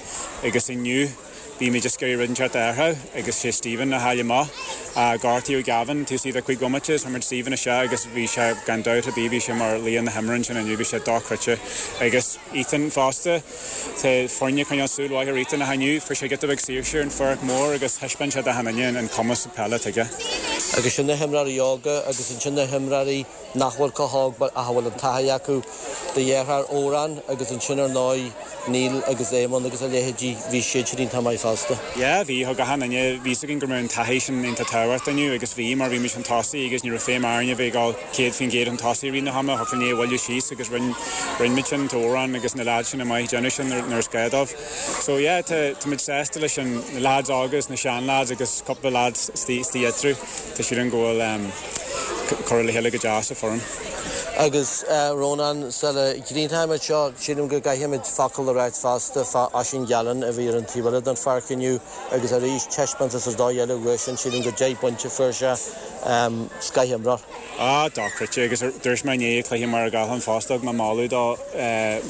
agus inniu bhí muid just ag iarraidh rud inteacht a athrú agus sé Stephen a chaill amach. Gortaíodh Gavin taobh istigh de chúig bhomaite is chuir muid Stephen isteach agus bhí sé gan dabht ar bith bhí sé mar laoch na himeartha ansin inniu, bhí sé dochreidte. Agus Ethan fosta. Tá foirne ag coinneáil súil mhaith ar Ethan ach inniu fuair sé giota beag saoirse ar an pháirc mhór agus thaispeáin sé d'achan duine an cumas peile atá aige. Agus sin na himreoirí óga agus ansin na himreoirí nach bhfuil chomh hóg ach a bhfuil an taithí acu. Do dheartháir Odhrán agus ansin ar ndóigh Neil agus Éamonn agus a leithéidí, bhí siad sin iontach maith fosta. Yeah, bhí, thug achan duine, bhí fhios againn go mbeadh an taithí sin iontach tábhachtach inniu agus bhí mar bhí muid chun tosaigh agus ní raibh feidhm orainn a bheith ag dul 100% chun tosaigh i rith na hama, thiocfadh linn é a bhualadh síos agus rinne, rinne muid sin, tá Odhrán agus na leaids sin maith ag déanamh sin nuair, nuair is gá dóibh. So yeah, tá, tá muid sásta leis an, na leaids óga agus na sean-leaids agus cúpla leaids istigh, istigh eatarthu, tá siad an go bhfuil em, curtha le chéile go deas sa foireann. Agus eh, Rónán, sula gcríochnóimid seo, sílim go gcaithfimid focal a ráit fosta fá Oisín Gallen a bhí ar an taobh eile den pháirc inniu agus arís taispeántas ar dóigh eile uaidhsean, sílim gur 10 bpointe a fuair sé, em, scoth-imreoir. Ah, dochreidte, agus dúirt mé inné i gcluiche Mhachaire Gathlán fosta, thug mé moladh dó,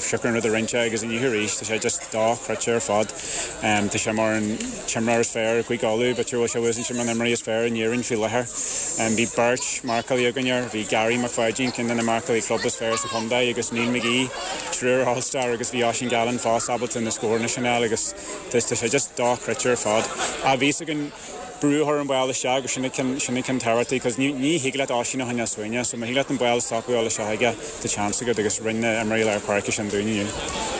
siocair an rud a rinne sé agus inniu arís, tá sé just dochreidte ar fad. Tá sé mar an t-imreoir is fearr i gCúige Uladh, b'fhéidir go bhfuil sé uasainte mar an imreoir is fearr in Éirinn faoi láthair. Bhí beirt marcálaí againn air, bhí Gary Mac Pháidín, ceann de na marcálaí club is fearr sa chontae, agus Neil McGee, triúr All-Star, agus bhí Oisín Gallen fosta ábalta na scóranna sin a fháil agus tá sé just dochreidte ar fad. Ah, bhí fhios againn. brú a chur an ball isteach agus sin an ceann, sin an ceann tábhachtach cos ní, ní thig leat Oisín a choinneáil suaimhneach so má thig leat an ball a stopadh a dhul isteach aige tá chance agat agus rinne na imreoirí lár páirce sin dúinn inniu.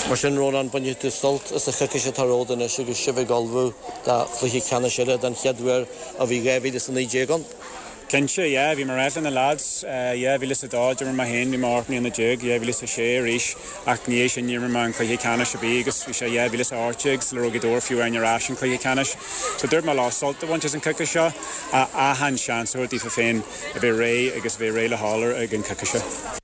Mar sin, Rónán, bainfidh tú sult as an choicís atá romhat anois agus sibh ag ullmhú do chluiche ceannais eile den chéad uair ó bhí 2019 ann. Cinnte, yeah, bhí mé ag ráit le na lads, 2002, d'imir mé féin, bhí mé 18 mbliana, 2006 arís, ach ina dhiaidh sin níor imir mé an cluiche ceannais ar bith agus bhí sé 2018 sula raibh Gaoth Dobhair fiú amháin ar ais an cluiche ceannais. So dúirt mé leo sult a bhaint as an coicís seo, ach achan seans a thabhairt daofa féin a bheith réidh agus a bheith réidh le dhul ar ag an coicís seo.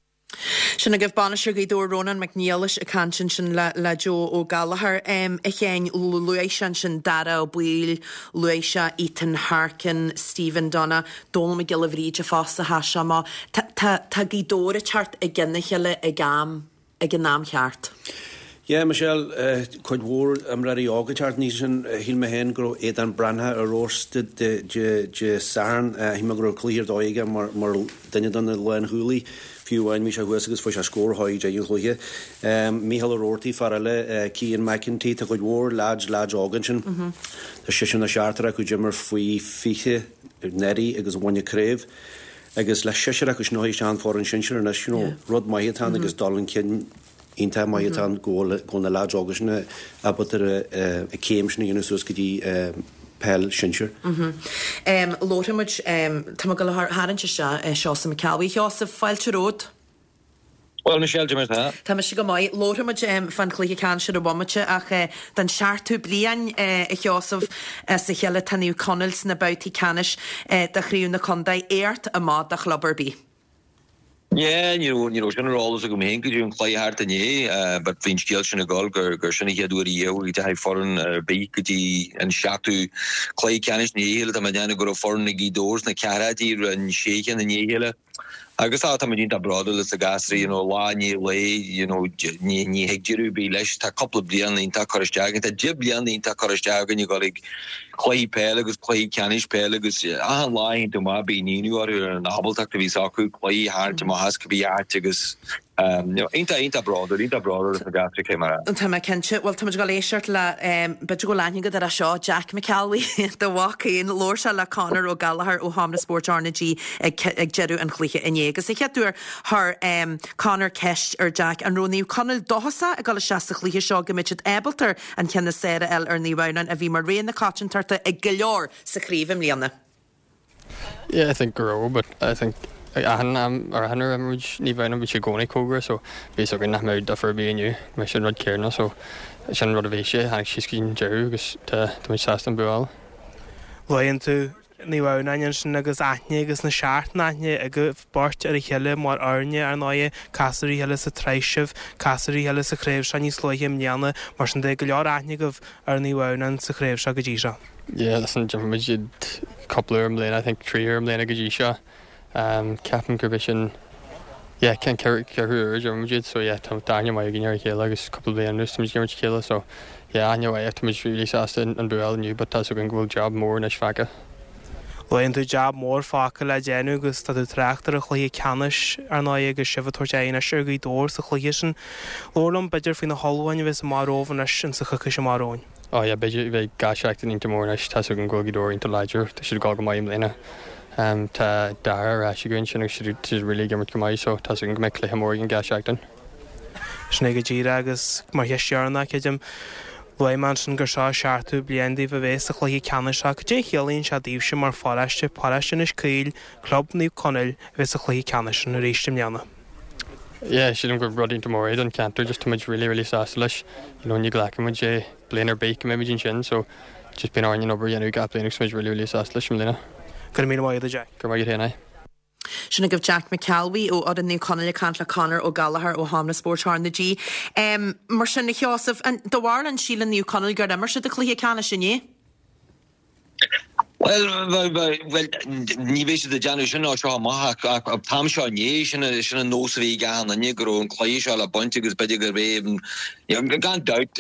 Sin agaibh Bainisteoir Ghaoth Dobhair Rónán Mac Niallais ag caint ansin le Joe Ó Gallchóir. A Sheáin, luaigh sé ansin Dara Ó Baoill, luaigh sé Ethan Harkin, Stephen Donagh, Dónal Mac Giolla Bhríde fosta, sheas sé amach. Tá tá Gaoth Dobhair ag teacht i gcionn a chéile ag am, ag an am cheart. Yeah, Michelle, cuid mhór imreoirí óga ag teacht aníos ansin. Shíl mé féin go raibh Aodán Breathnach ar fheabhas Dé Sathairn. Shíl mé go raibh cluiche ar dóigh aige mar duine de na lánchúlaithe. Fiú amháin bhí sé thuas agus fuair sé scór chuig deireadh an chluiche. Mícheál Ó Roarty, fear eile, Cian McEntee, tá cuid mhór leaids, leaids óga ansin. Tá seisear nó seachtar acu a d'imir faoi 20 anuraidh agus a bhain an craobh. Agus le seisear acu sin a isteach an foireann sinsir anois, you know, rud maith atá ann agus dul chun cinn iontach maith atá ann go bhfuil na leaids óga sin ábalta an céim sin a dhéanamh suas go dtí peil sinsir. Labharfaidh muid, tá mé ag dul a tharraingt isteach Seosamh Mac Ceallbhuí. A Sheosaimh, fáilte romhat. Bhuel, Michelle, cad é mar atá? Tá mise go maith. Labharfaidh muid fán chluiche ceannais ar an bhomaite ach don seachtú bliain, a Sheosaimh, as a chéile tá Naomh Conaill sna babhtaí ceannais de Chraobh na Contae. Éacht amach do chlub ar bith. Yeah, ní raibh, ní raibh sin ar eolas agam féin go dtí an cluiche thart inné, but bhí an scéal sin ag dul gur, gur sin an chéad uair riamh a dteachaigh foireann ar bith go dtí an seachtú cluiche ceannais i ndiaidh a chéile. Tá mé ag déanamh go raibh foireann ag Gaoth Dobhair sna ceathrachaidí rinne sé cheann i ndiaidh a chéile. Agus tá, táimid iontach bródúil as na gasraí, you know, lá i ndiaidh lae, you know, ní, ní thig deireadh ar bith leis. Tá cúpla bliain iontach curtha isteach againn, tá 10 bliana iontach curtha isteach againn ag dul ag cluichí peile agus cluichí ceannais peile agus achan lá a théann tú amach bíonn ionadh orthu ar an ábaltacht a bhíos acu cluichí a tharraingt amach as cibé áit agus you know, iontach, iontach bródúil, iontach bródúil as na gasraí cé mar a. Tá mé cinnte. Bhuel, táimid ag dul éisteacht le, b'fhéidir go bhfuil aithne agat air seo, Jack McElwee, do mhac féin. Labhair sé le Conor Ó Gallchóir ó Sheomra Spóirt R na G ag deireadh an chluiche inné. Agus an chéad uair chuir Conor ceist ar Jack an raibh Naomh Conaill dóchasach ag dul isteach sa chluiche seo go mbeadh siad ábalta an ceann is fearr a fháil ar Naomh Adhamhnáin a bhí mar rogha na coitiantachta ag go leor sa chraobh i mbliana. Yeah I think go raibh but I think achan am or achan uair a imir muid Naomh Adhamhnáin bhí sé i gcónaí cóngarach so bhí fhios againn nach mbeadh difear ar bith inniu go mbeadh sé an rud céanna so sin an rud a bhí sé tháinig síos go dtí an deireadh agus tá tá muid sásta an bua a fháil. Luann tú Naomh Adhamhnáin ansin agus aithne agus na seacht n-aithne agaibh beirt ar a chéile mar fhoirne, ar ndóighe, casadh ar a chéile sa tsraith sibh, casadh ar a chéile sa chraobh seo níos luaithe i mbliana, mar sin de, go leor aithne agaibh ar Naomh Adhamhnáin sa chraobh seo go dtí seo. Yeah, listen, d'imir muid iad cúpla uair i mbliana, I think trí huaire i mbliana go dtí seo. Ceapaim gurb é sin, yeah, an ceathrú uair a d'imir muid iad, so yeah, tá aithne mhaith againn ar a chéile agus cúpla bliain anuas tá muid ag imirt a chéile, so yeah, aithne mhaith ach tá muid really sásta an bua a fháil inniu but tá 'fhios againn go bhfuil job mór anois fágtha. Luann tú jab mór fágtha le déanamh agus tá tú ag trácht ar an chluiche ceannais, ar ndóigh, agus sibh ag tabhairt aghaidh anois ar Ghaoth Dobhair sa chluiche sin. Labhair liom, b'fhéidir, faoi na hullmhúcháin a bheas amach romhaibh anois insa choicís amach romhainn. Oh yeah, beidh, beidh gach seachtain iontach mór anois, tá's againn go bhfuil Gaoth Dobhair iontach láidir, tá siad ag dul go maith i mbliana. Tá Dara ar ais againn ansin agus siad, tá siad really ag imirt go maith so tá's againn go mbeidh cluiche mór againn gach seachtain. Sin é go díreach agus mar cheist dheireanach, creidim, luaigh mé ansin gur seo an seachtú bliain daoibh a bheith sa chluiche ceannais seo, cad é a chiallaíonn sé daoibhse mar pharóiste, paróiste Inis Caoil, Club Naomh Conaill a bheith sa chluiche ceannais sin arís i mbliana? Yeah, sílim gur rud iontach mór é don cheantar, just tá muid really really sásta leis, you know, ní ghlacann muid é bliain ar bith go mbeidh muid ansin, so just bíonn orainn an obair a dhéanamh gach bliain agus tá muid really really sásta leis i mbliana. Go raibh míle maith agat, a Jack. Go raibh maith agat féin, aye. Sin agaibh Jack McElwee ó fhoireann Naomh Conaill ag caint le Conor Ó Gallchóir ó Sheomra Spóirt R na G. Mar sin, a Sheosaimh, an, do bharúil an síleann Naomh Conaill gur imir siad a cluiche ceannais inné? Bhuel, bhuel, ní bheidh siad ag déanamh sin as seo amach ach an t-am seo inné, sin an nós a bhí ag achan duine go raibh an cluiche seo le baint agus b'fhéidir gurb é, gan dabht,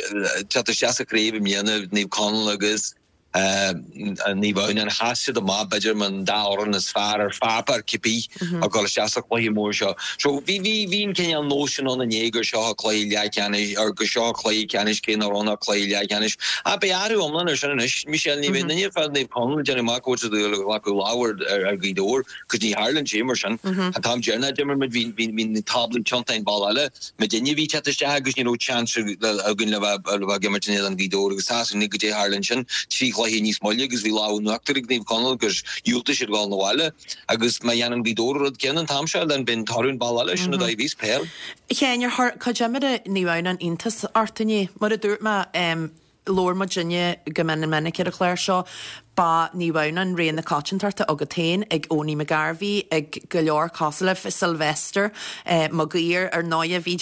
teacht isteach sa chraobh i mbliana, Naomh Conaill agus. Naomh Adhamhnáin, sheas siad amach b'fhéidir mar an dá fhoireann is fearr ar pháipéar cibé ag dul isteach sa chluiche mór seo. So bhí bhí bhí an cineál nós sin ann inné gur seo cluiche leathcheannais or gur seo cluiche ceannais cé nach raibh ann ach cluiche leathcheannais. Ach beidh athrú iomlán ar sin anois. Michelle, ní bheidh aon duine fá Naomh Conaill ag déanamh amach go bhfuil siad ag glacadh lámh ar ar Ghaoth Dobhair. 'Cause ní tharlaíonn sé mar sin. An t-am deireanach a d'imir muid bhí bhí bhí na táblaí tiontaithe an bealach eile. Muidinne a bhí ag teacht isteach agus ní raibh chance againn le bheith le bheith ag imirt in éadan Ghaoth Dobhair agus tá a fhios againn goidé a tharla ansin. 3 chluiche níos moille agus bhí lámh in uachtar ag Naomh Conaill agus dhiúltaigh siad dhul 'na bhaile. Agus má dhéanann Gaoth Dobhair an rud céanna an t-am seo then beidh an toradh an bealach eile. Sin an dóigh a bhíos peil. A Sheáin, ar chuir cuid imeartha Naomh Adhamhnáin iontas ort inné? Mar a dúirt mé, Labhair muidinne go mion minic ar an chlár seo. Ba Naomh Adhamhnáin rogha na coitiantachta agat féin, ag Owenie McGarvey, ag go leor cosúil libh, Sylvester Maguire ar ndóighe, bhí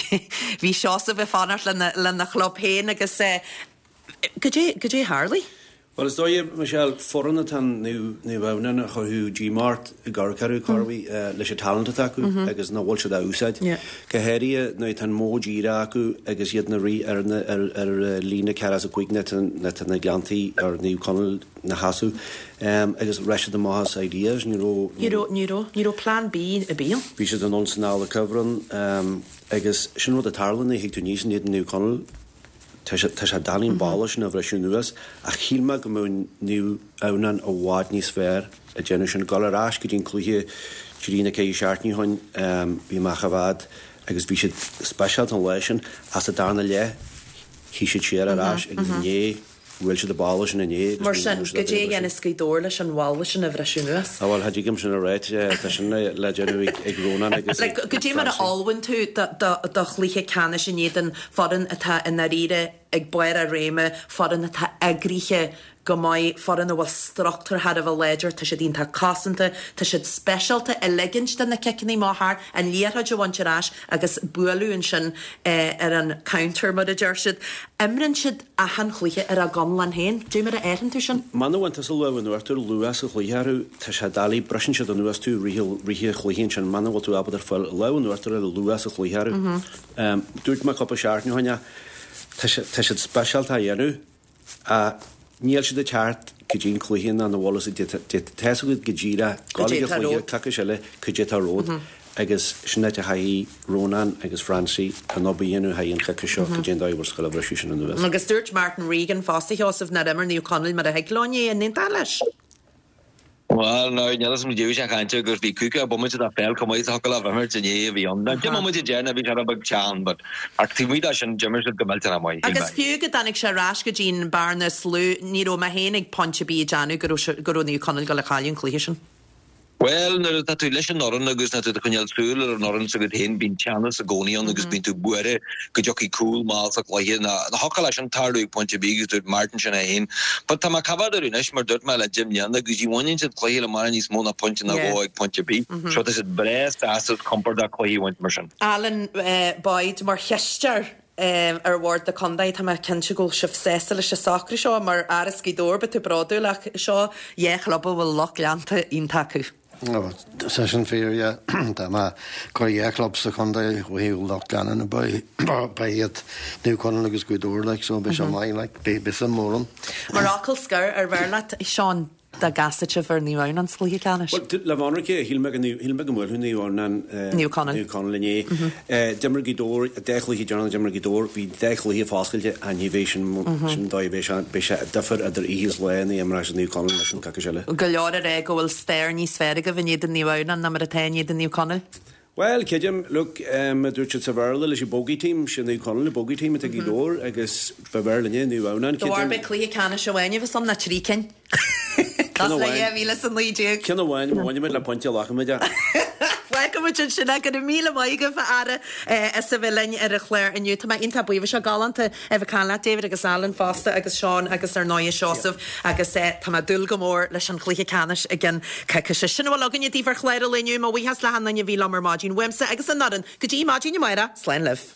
bhí Seosamh ag fanacht lena lena chlub féin agus goidé goidé a tharlaigh? Bhuel, is dóigh, Michelle, foireann atá in Naomh Adhamhnáin a chuirfeadh díomá ort i gcorrcheathrú, corruair, leis an talent atá acu agus nach bhfuil siad á úsáid. Go háirithe nuair atá an modh díreach acu agus iad ina rith ar ar líne 45 nuair atá na Gleanntaí or Naomh Conaill ina sheasamh agus raibh siad amach as ideas, ní raibh. Ní raibh, ní raibh, ní raibh plan B ar bith ann. Bhí siad anonn is anall an cuibhreann agus sin rud a tharla nuair a thig tú aníos in éadan Naomh Conaill. Tá sé, tá sé doiligh an balla sin a bhriseadh anuas ach shíl mé go mbeadh Naomh Adhamhnáin i bhfad níos fearr ag déanamh sin. Dul ar ais go dtí an cluiche trí nó ceithre seachtainí ó shin, bhí mé á choimhéad agus bhí siad speisialta an lá sin ach sa darna leath shuigh siad siar ar ais agus inné bhuail siad an balla sin inné agus Mar sin, goidé a dhéanfas Gaoth Dobhair leis an bhalla sin a bhriseadh anuas? Á bhuel, cha dtig liom sin a ráit, tá sin le déanamh ag Rónán agus ag Goidé mar a Francie. ullmhaíonn tú do chluiche ceannais in éadan foireann atá i ndáiríre ag barr a réime, foireann atá eagraithe go maith, foireann a bhfuil struchtúr thar a bheith láidir, tá siad iontach cosanta, tá siad speisialta i ligint de na ciceanna amach thart, an liathróid a bhaint ar ais agus bualadh ansin ar an counter mar a deir siad. Imríonn siad achan chluiche ar a gconlán féin. Dé mar a fhaigheann tú sin? Muna bhfaigheann tusa lámh in uachtar luath sa chluiche orthu, tá sé doiligh, briseann siad anuas tú i rith an chluiche ansin, muna bhfuil tú ábalta ar fáil lámh in uachtar a fháil luath sa chluiche orthu. Dúirt mé cúpla seachtain ó shin é, tá siad speisialta á dhéanamh ach níl siad ag teacht go dtí an cluiche ná na bhfuil a fhios agat, tá a fhios agat go díreach, gabháil ag an chluiche, coicís eile, cad é atá romhat agus sin áit a chaithfidh Rónán agus Francie an obair a dhéanamh thar an choicís seo cad é an dóigh a bhfuil siad ag gabháil a bhriseadh sin anuas. Agus dúirt Martin Regan fosta, Sheosamh, nár imir Naomh Conaill mar a thig leo inné, an aontófá leis? Bhuel, now, níl fhios agam goidé a bhí sé ag caint air gur bhí cúpla bomaite de pheil chomh maith is a thiocfadh leo imirt inné a bhí ann. Now, deich mbomaite deireanach bhí sé rud beag teann, but ach taobh amuigh de sin, d'imir siad go millteanach maith, shíl Agus mé. fiú go dtáinig sé ar ais go dtí an bearna is lú, ní raibh mé féin ag pointe ar bith ag déanamh go raibh sé, go raibh Naomh Conaill ag dul a chailleadh an cluiche sin. Bhuel, nuair atá tú leis an fhoireann agus nuair atá tú ag coinneáil súil ar an fhoireann s'agat féin, bíonn teannas i gcónaí ann agus bíonn tú buartha go dtiocfaidh cúl mall sa chluiche. Now, thiocfadh leis sin tarlú ag pointe ar bith agus dúirt Martin sin é féin. But tá mé ag coimhéad orthu anois, mar dúirt mé, le deich mbliana agus ní bhaineann siad cluiche le mara níos mó ná pointe nó dhó ag pointe ar bith. So tá siad breá sásta is compordach cluichí a bhaint mar sin. Alan Boyd mar chisteoir ar bhord na contae, tá mé cinnte go bhfuil sibh sásta leis an socrú seo. Mar fhear as Gaoth Dobhair, beidh tú bródúil ach seo dhá chlub a bhfuil lucht leanta iontach acu. Tá sin fíor, yeah. Dá mba gur dhá chlub sa chontae ó thaobh lucht leanúna ba iad Naomh Conaill agus Gaoth Dobhair like so beidh sé maith like beidh suim mór ann. Mar fhocal scoir, ar bhfearr leat, Seán, dá gcasfadh sibh ar Naomh Adhamhnáin sa chluiche ceannais? Bhuel, le bheith ionraic, shíl mé go shíl mé go mbuailfeadh Naomh Adhamhnáin Naomh Conaill. Naomh Conaill inné. D'imir Gaoth Dobhair, an dá chluiche deireanach d'imir Gaoth Dobhair, bhí an dá chluiche foscailte ach ní bheidh sin sin an dóigh a bheidh sé, beidh sé difear idir oíche is lá nuair a imreoidh siad Naomh Conaill leis an coicís eile. Go leor ag rá go bhfuil stair níos fearr agaibh in éadan Naomh Adhamhnáin ná mar atá in éadan Naomh Conaill. Bhuel, creidim, look, a dúirt siad sa Bhéarla leis an bogey team, sin Naomh Conaill, an bogey team atá ag Gaoth Dobhair agus ba bhfearr linne Naomh Adhamhnáin, De bharr creidim. beidh cluiche ceannais amháin a bheas ann ná 3 cinn. Ceann Cosúil le amháin. 2019. Ceann amháin, má bhainimid le pointe, glacfaimid é. Fágfaimid ansin é. Go raibh míle maith agaibh a fheara as a bheith linn ar an chlár inniu. Tá mé iontach buíoch. Bhí sé galánta a bheith ag caint leat David agus Alan fosta agus Seán agus ar ndóighe Seosamh agus tá mé ag dúil go mór leis an chluiche ceannais i gceann coicíse. Sin a bhfuil againne daoibh ar chlár an lae inniu. Mo bhuíochas le hachan duine a bhí liom ar maidin uaimse agus an fhoireann. Go dtí maidin amárach, slán libh.